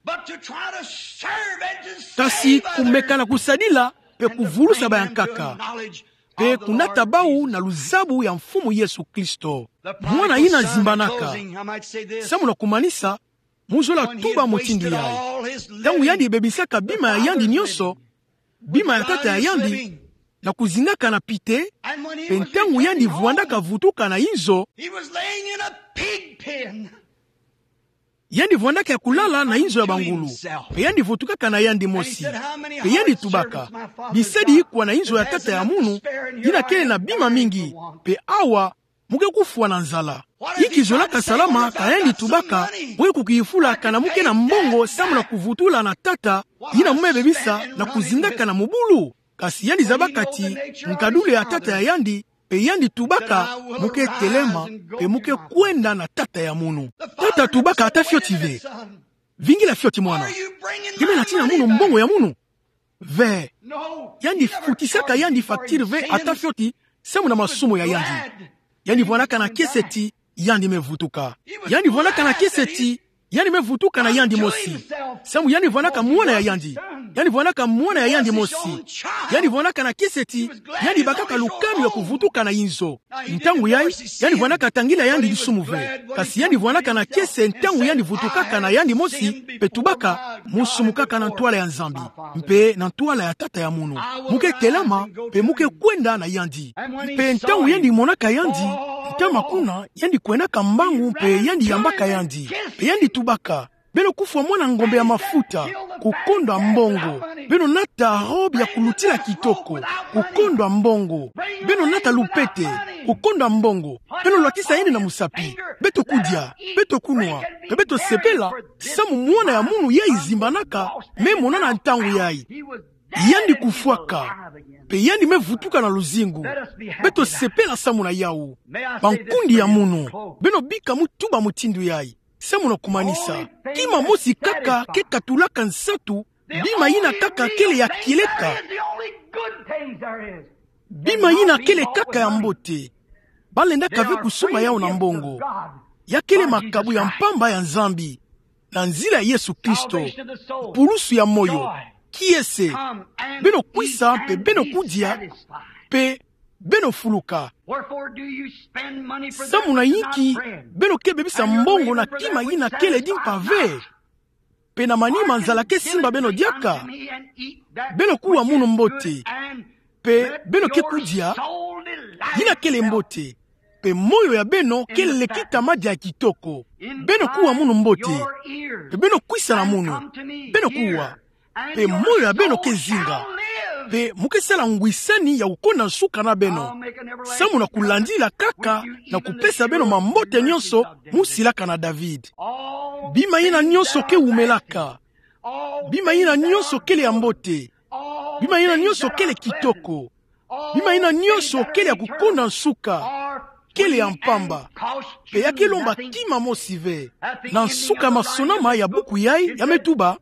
Kasi kumekana kusadila, mpe kuvulusa bayankaka. Mpe kunata bawu na luzabu ya Mfumu Yesu Kristo. Mwana yina azimbanaka. Samu na kumanisa, mo zola tuba mutindu yayi. Ntangu yandi bebisaka bima ya yandi nyonso, bima ya tata ya yandi, na kuzingaka na pite, mpe ntangu yandi vwandaka vutuka na inzo, yandi vwandaka ya kulala na inzo ya bangulu, mpe yandi vutukaka na yandi mosi. Mpe yandi tubaka: Bisadi kwa na inzo ya tata ya munu, yina kele na bima mingi, mpe awa mo ke kufwa na nzala. Inki zolaka salama? Ka yandi tubaka: Mo ke kukifula kana mo ke na mbongo samu na kuvutula na tata yina mo me bebisa na kuzingaka na mubulu? Kasi yandi zabaka ti nkadulu ya tata ya yandi, mpe yandi tubaka: Mo ke telema, mpe mo ke kwenda na tata ya munu. Tata tubaka: Ata fioti ve. Vingila fioti, mwana. Nge me na tina munu mbongo ya munu? Ve. Yandi futisaka yandi facture ve, ata fioti, samu na masumu ya yandi. Yandi vwandaka na kiese ti yandi me vutuka. Yandi vwandaka na kiese ti yandi me vutuka na yandi mosi. Samu yandi vwandaka mwana ya yandi. Yandi vwandaka mwana ya yandi mosi. Yandi vwandaka na kiese ti yandi bakaka lukanu ya kuvutuka na inzo. Ntangu yayi, yandi vwandaka tangila yandi disumu ve. Kasi yandi vwandaka na kiese ntangu yandi vutukaka na yandi mosi, mpe tubaka: Mo sumukaka na ntwala ya Nzambi, mpe na ntwala ya tata ya munu. Mo ke telema, mpe mo ke kwenda na yandi. Mpe ntangu yandi monaka yandi, ntama kuna, yandi kwendaka mbangu, mpe yandi yambaka yandi. Mpe yandi tubaka: Beno kufwa mwana ngombe ya mafuta, kukonda mbongo. Beno nata robe ya kulutila kitoko, kukonda mbongo. Beno nata lupete, kukonda mbongo. Beno lwatisa yandi na musapi. Beto kudia, beto kunwa, mpe beto sepela, samu mwana ya munu yayi zimbanaka, me monana ntangu yayi. Yandi kufwaka, mpe yandi me vutuka na luzingu. Beto sepela samu na yawu. Bankundi ya munu, beno bika mo tuba mutindu yayi. Samu na kumanisa, kima mosi kaka ke katulaka nsatu, bima yina kaka kele ya kieleka. Bima yina kele kaka ya mbote. Ba lendaka ve kusumba yawu na mbongo. Ya kele makabu ya mpamba ya Nzambi. Na nzila ya Yesu Kristo, pulusu ya moyo, kiese, beno kwisa mpe beno kudia, mpe beno fuluka. Samu na inki beno ke bebisa mbongo na kima yina kele di mpa ve? Mpe na manima nzala ke simba beno diaka? Beno kuwa munu mbote, mpe beno ke kudia, yina kele mbote, mpe moyo ya beno kele kita madia ya kitoko. Beno kuwa munu mbote, mpe beno kwisa na munu, beno kuwa, mpe moyo ya beno ke zinga, mpe mo ke sala ngwisani ya kukonda nsuka na beno, samu na kulandila kaka na kupesa beno mambote nyonso mo silaka na David. Bima yina nyonso ke wumelaka. Bima yina nyonso kele ya mbote. Bima yina nyonso kele kitoko. Bima yina nyonso kele ya kukonda nsuka, kele ya mpamba. Mpe ya ke lomba kima mosi ve. Na nsuka ya masonama ya buku yayi, ya me tuba: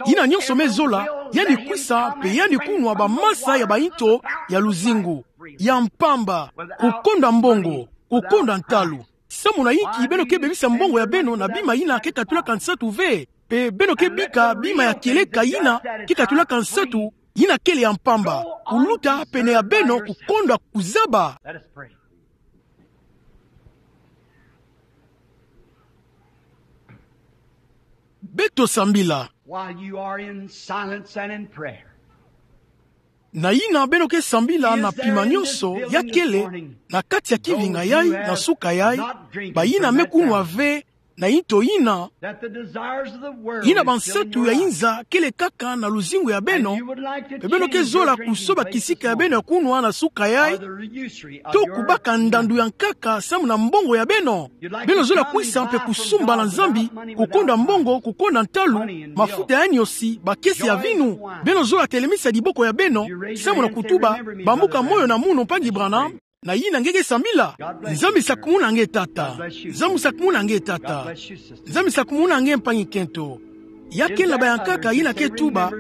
Yina nyonso me zola, yandi kwisa mpe yandi kunwa bamasa ya bayinto ya luzingu, ya mpamba, kukonda mbongo, kukonda ntalu. Samu na inki beno ke bebisa mbongo ya beno na bima yina ke katulaka nsatu ve, mpe beno ke bika bima ya kieleka yina ke katulaka nsatu, yina kele ya mpamba. Kuluta pene ya beno, kukonda kuzaba. Beto sambila. While you are in silence and in prayer, na yina beno ke sambila na pima nyonso ya kele na kati ya kivinga yai na suka yai, bayina me kunwa ve na yinto yina, that the desires of the world yina bansatu ya inza kele kaka na luzingu ya beno, pe beno ke zola kusoba kisika ya beno ya kunwa na suka yai, to kubaka ndandu ya nkaka samu na mbongo ya beno. Beno zola kwisa mpe kusumba na Nzambi, kukonda mbongo, kukonda ntalu, mafuta ya niosi, bakese ya vinu. Beno zola telemisa diboko ya beno samu na kutuba: Bambuka moyo na munu, mpangi Branham, na yina nge ke sambila. Nzambi sakumuna nge, tata. Nzambi sakumuna nge, tata. Nzambi sakumuna nge, mpangi kento. Ya kele na baya nkaka yina ke tuba: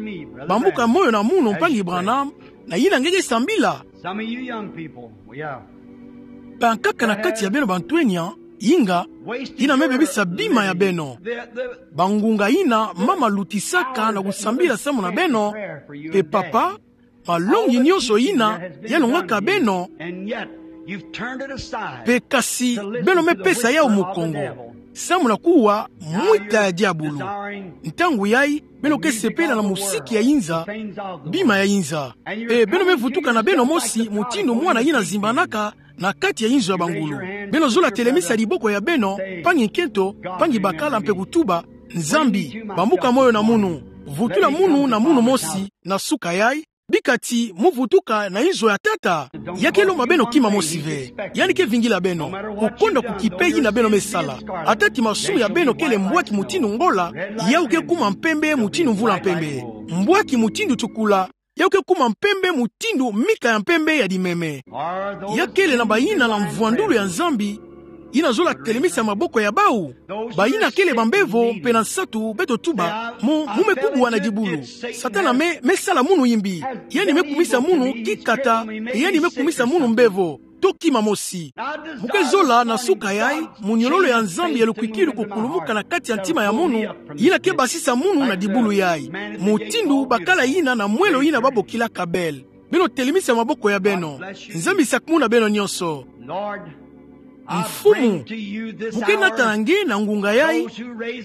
Bambuka moyo na munu, mpangi Branham, na yina nge ke sambila. Some of you young people, yeah. Bankaka na kati ya beno bantwenia, inga, yina me bebisa bima ya beno. Bangunga yina mama lutisaka na kusambila samu na beno, pe papa, malongi nyonso yina ya longaka beno. And yet, you've turned it aside. Pe kasi beno me pesa yau mukongo samu na kuwa mwita ya diabulu. Ntangu yai, beno ke sepela na musiki ya inza, bima ya inza. Pe beno me vutuka na beno mosi mutindu mwana yina zimbanaka na kati ya inzo ya bangulu. Beno zola telemisa diboko ya beno, mpangi kento, mpangi bakala, mpe kutuba: Nzambi, bambuka moyo na munu. Vutula munu na munu mosi na suka yai, bika ti mu vutuka na inzo ya tata. Ya ke lomba beno kima mosi ve. Yandi ke vingila beno, kukonda kukipe yina beno me sala. Ata ti masumu ya beno kele mbwaki mutindu ngola, yau ke kuma mpembe mutindu mvula mpembe. Mbwaki mutindu tukula, yau ke kuma mpembe mutindu mika ya mpembe ya dimeme. Ya kele na bayina na mvwandulu ya Nzambi yina zola telemisa maboko ya bau? Bayina kele bambevo mpe na nsatu, beto tuba: Mu, mu me kubwa na dibulu. Satana me, me sala munu yimbi. Yandi me kumisa munu kikata, yandi me kumisa munu mbevo, to kima mosi. Mu ke zola na suka yai, muniololo ya Nzambi ya lukwikilu kukulumuka na kati ya ntima ya munu, yina ke basisa munu na dibulu yai, mutindu bakala yina na mwelo yina ba bokilaka bel. Beno telemisa maboko ya beno. Nzambi sakumuna beno nyonso. Mfumu, mu ke nata na nge na ngunga yai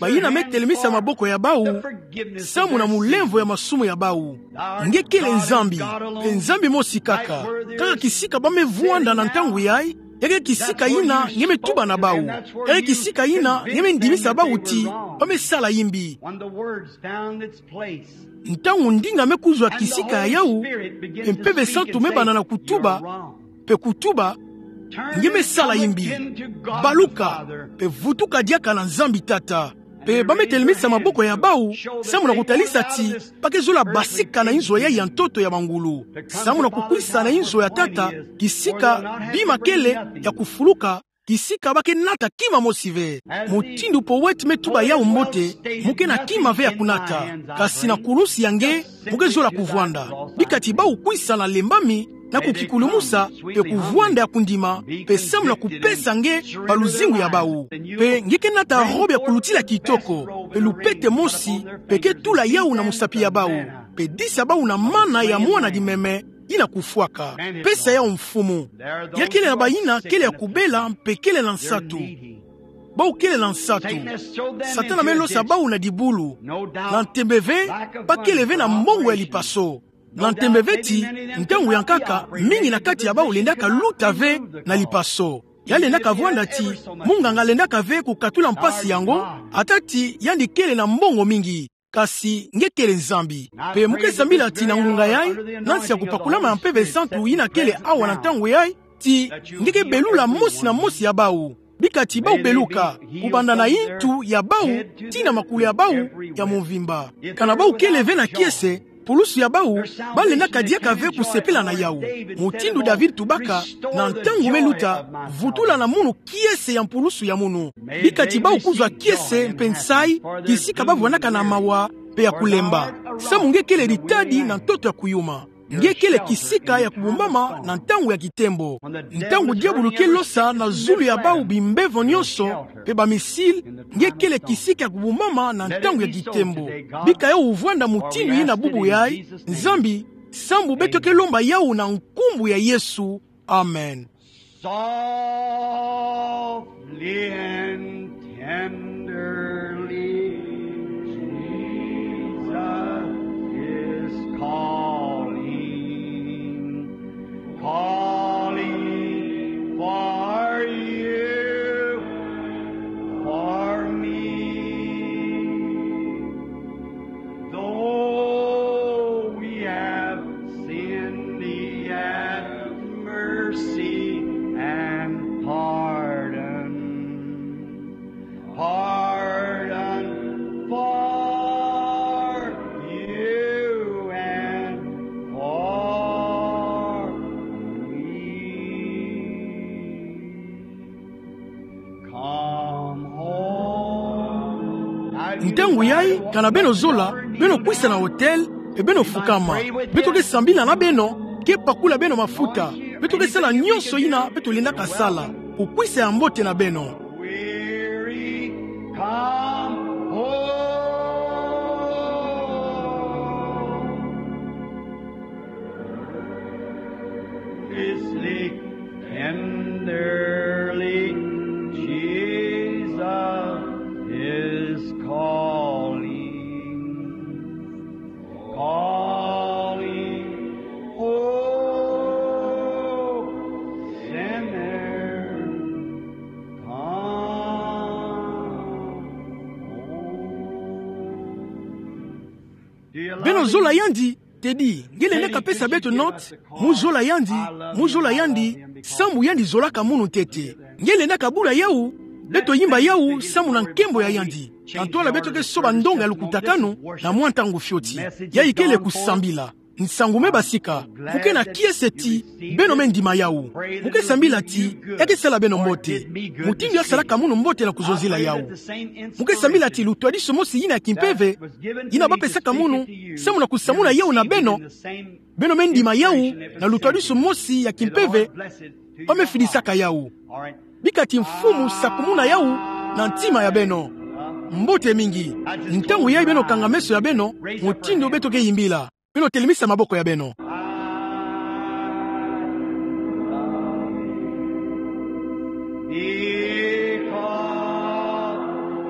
bayina me telemisa maboko ya bau samu na mulemvo ya masumu ya bau. Nge kele Nzambi, mpe Nzambi mosi kaka. Kaka kisika ba me vwanda na ntangu yai, ya ke kisika yina nge me tuba na bau. Ya ke kisika yina nge me ndimisa bau ti ba me sala yimbi. Ntangu ndinga me kuzwa kisika ya yau, mpe Mpeve Santu me banda na kutuba, mpe kutuba: Nge me sala yimbi. Baluka, mpe vutuka diaka na Nzambi, tata. Mpe ba me telemisa maboko ya bau samu na kutalisa ti ba ke zola basika na inzo yai ya ntoto ya bangulu, samu na kukwisa na inzo ya tata, kisika bima kele ya kufuluka, kisika ba ke nata kima mosi ve. Mutindu powète me tuba yau mbote, mu ke na kima ve ya kunata. Kasi na kulusi ya nge, mu ke zola kuvwanda. Bika ti bau kwisa na lembami, na kukikulumusa, mpe kuvwanda ya kundima, mpe samu na kupesa nge baluzingu ya bau. Mpe nge ke nata robe ya kulutila kitoko, mpe lupete mosi, mpe ke tula yau na musapi ya bau, mpe disa bau na mana ya mwana dimeme yina kufwaka. Pesa yau, Mfumu. Ya kele na bayina kele ya kubela mpe kele na nsatu. Bau kele na nsatu. Satana me losa bau na dibulu. Na ntembe ve, ba kele ve na mbongo ya lipaso. Na ntembe ve ti, ntangu ya nkaka, mingi na kati ya bau lendaka luta ve na lipaso. Ya lendaka vwanda ti, munganga lendaka ve kukatula mpasi yango, ata ti yandi kele na mbongo mingi. Kasi nge kele Nzambi. Mpe mu ke sambila ti na ngunga yai, na nsi ya kupakulama ya Mpeve Santu yina kele awa na ntangu yai, ti nge ke belula mosi na mosi ya bau. Bika ti bau beluka, kubanda na yintu ya bau tii na makulu ya bau ya mvimba. Kana bau kele ve na kiese, pulusu ya bau, ba lendaka diaka ve kusepela na yau. Mutindu David tubaka, na ntangu me luta, vutula na munu kiese ya mpulusu ya munu. Bika ti bau kuzwa kiese mpe nsayi, kisika ba vwandaka na mawa mpe ya kulemba. Samu nge kele ditadi na ntoto ya kuyuma. Nge kele kisika ya kubumbama na ntangu ya kitembo. Ntangu diabulu ke losa na zulu ya bau bimbevo nyonso, mpe ba missile, nge kele kisika ya kubumbama na ntangu ya kitembo. Bika yau vwanda mutindu yina bubu yai: Nzambi, Sambu beto ke lomba yawu na nkumbu ya Yesu. Amen. Softly and tenderly, Jesus is calling, calling for you, for me. Though we have sinned, He hath mercy and pardon. Pardon for you and for me. Come home. Ntangu yai, kana beno zola, beno kwisa na hotel, e beno fukama. Beto ke sambila na beno, ke pakula beno mafuta. Beto ke sala nyonso yina beto lendaka sala. Kukwisa ya mbote na beno. Weary, come home. Sleep tenderly, Jesus is calling, calling, oh, sinner, come home. Beno zola yandi? Tedi, nge lenda kapesa beto note, mu zola yandi, mu zola yandi, sambu yandi zolaka munu ntete. Nge lenda kabula yawu, beto yimba yawu, sambu na nkembo ya yandi. Ka ntwala beto ke soba ndonga ya lukutakanu, na mwa ntangu fioti. Yayi kele kusambila. Nsangu me basika, mu ke na kiese ti, beno me ndima yawu. Mu ke sambila ti, ya ke sala beno mbote. Mutindu ya salaka munu mbote na kuzonzela yawu. Mu ke sambila ti lutwadisu mosi yina ya kimpeve, yina bapesaka munu, sambu na kusamuna yawu na beno, beno me ndima yawu, na lutwadisu mosi ya kimpeve, bamefidisaka yawu. Bika ti Mfumu sakumuna yawu, na ntima ya beno. Mbote mingi. Ntangu yayi beno kanga meso ya beno, mutindu beto ke yimbila. Beno telemisa maboko ya beno. Because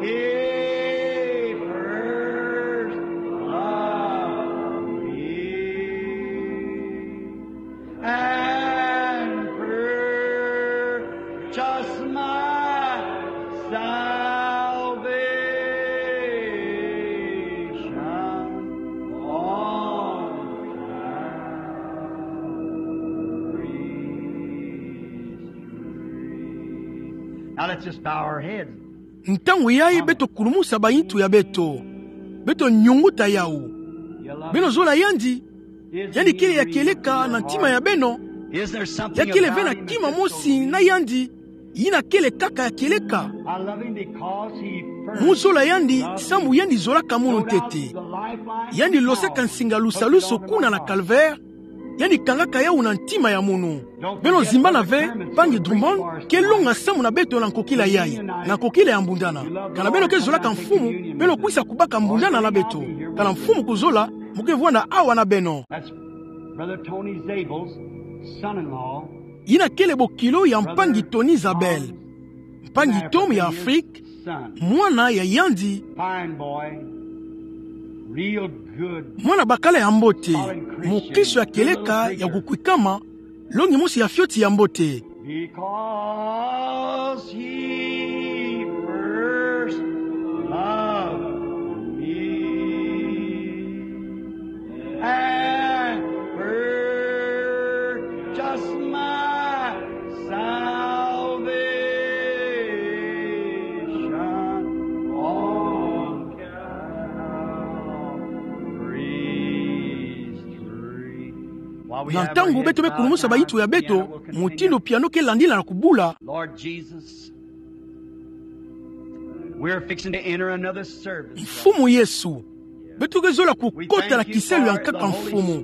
He first loved me and purchased my salvation on Calvary's tree. Now let's just bow our heads. Ntangu yayi beto kulumusa bayintu ya beto. Beto nyunguta yawu. Beno zola yandi. Yandi kele ya kieleka na ntima ya beno. Ya kele ve na kima mosi na yandi, yina kele kaka ya kieleka. Mu zola yandi, sambu yandi zolaka munu ntete. Yandi losaka nsinga lusalusu kuna na Calvaire. Yandi kangaka yawu na ntima ya munu. Beno zimbana ve, mpangi Drummond ke longa sambu na beto na nkokila yayi, na nkokila ya mbundana. Kana beno ke zolaka Mfumu, beno kwisa kubaka mbundana na beto. Kana Mfumu kuzola, mu ke vwanda awa na beno. That's Brother Tony Zabel's son-in-law. Yina kele bokilo ya mpangi Tony Zabel. Mpangi Tom ya Afrique, mwana ya yandi. Fine boy. Real good. Mwana bakala ya mbote, mukristo ya kieleka ya kukwikama, longi mosi ya fioti ya mbote. Because He first loved me and purchased my salvation on Calvary's tree. Na ntangu beto me kulumusa bayintu ya beto, mutindu piano ke landila na kubula. Lord Jesus, we're fixing to enter another service. Mfumu Yesu, beto ke zola kukota na kisalu ya nkaka Mfumu.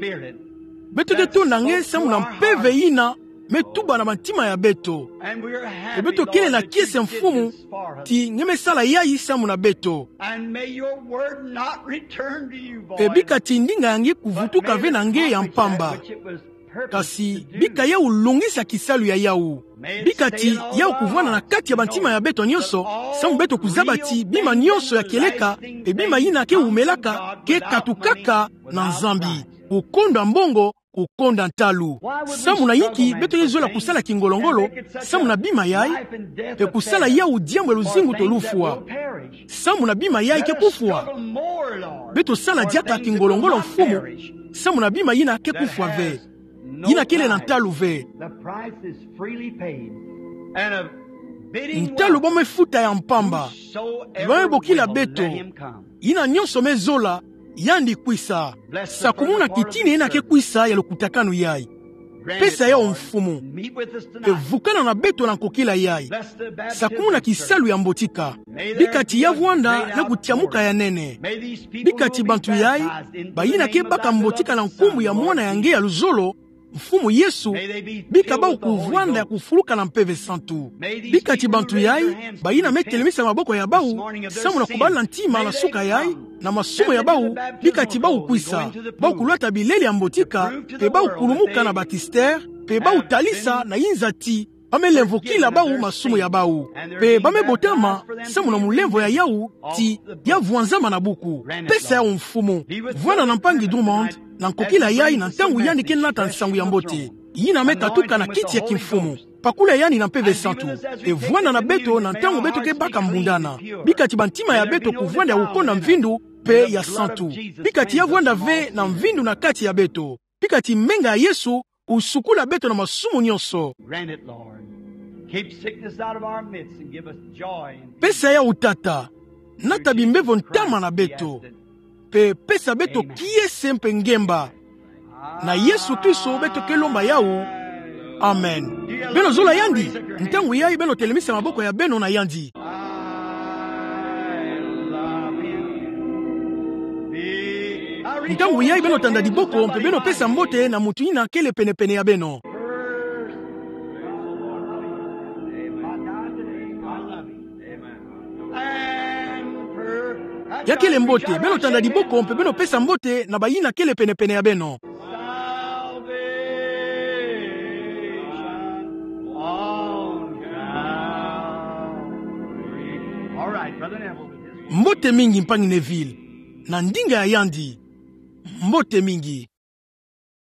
Beto ke tonda nge sambu na mpeve yina me tuba na bantima ya beto. Pe beto kele na kiese, Mfumu, ti nge me sala yai samu na beto. Pe bika ti ndinga ya nge kuvutuka ve na nge ya mpamba. Kasi bika yau longisa kisalu ya yau. Bika ti yau kuvwanda na kati ya bantima ya beto nyonso, samu beto kuzaba ti bima nyonso ya kieleka, pe bima yina ke wumelaka, ke katukaka na Nzambi. Kukonda mbongo, kukonda ntalu. Samu na yinki beto ye zola kusala kingolongolo samu na bima yai, pe kusala yau diambu ya luzingu to lufwa? Samu na bima yai ke kufwa. Beto sala diaka kingolongolo, Mfumu, samu na bima yina ke kufwa ve, yina kele na ntalu ve. Ntalu bau me futa ya mpamba. Bau me bokila beto: Yina nyonso me zola, yandi kwisa. Sakumuna kitina yina ke kwisa ya lukutakanu yai. Pesa yau, Mfumu. Pe vukana na beto na nkokila yai. Sakumuna kisalu ya mbotika. Bika ti ya vwanda na kutiamuka ya nene. Bika ti bantu yai bayina ke baka mbotika na nkumbu ya Mwana ya nge ya luzolo, Mfumu Yesu, bika bau kuvwanda ya kufuluka na Mpeve Santu. Bika ti bantu yai bayina me telemisa maboko ya bau samu na kubala ntima na suka yai, na masumu ya bau, bika ti bau kwisa, bau kulwata bilele ya mbotika, pe bau kulumuka na batistere, pe bau talisa na inza ti bau me lemvokila bau masumu ya bau. Pe bau me botama samu na mulemvo ya yau ti ya vwanzama na buku. Pesa yau, Mfumu. Vwanda na mpangi Drummond na nkokila yai na ntangu yandi ke nata nsangu ya mbote, yina me katuka na kiti ya kimfumu. Pakula yandi na Mpeve Santu. Pe vwanda na beto na ntangu beto ke baka mbundana. Bika ti bantima ya beto kuvwanda ya kukonda mvindu pe ya santu. Bika ti ya vwanda ve na mvindu na kati ya beto. Bika ti menga ya Yesu kusukula beto na masumu nyonso. Grant it, Lord. Keep sickness out of our midst and give us joy and peace. Pesa yau, Tata. Nata bimbevo ntama na beto. Pe pesa beto kiese mpe ngemba. Na Yesu Kristo beto ke lomba yau. Amen. Beno zola yandi? Ntangu yai beno telemisa maboko ya beno na yandi. Ntangu yai beno tanda diboko mpe beno pesa mbote na muntu yina kele pene-pene ya beno. Ya kele mbote, beno tanda diboko mpe beno pesa mbote na bayina kele pene-pene ya beno. Mbote mingi, mpangi Neville. Na ndinga ya yandi. Mbote mingi.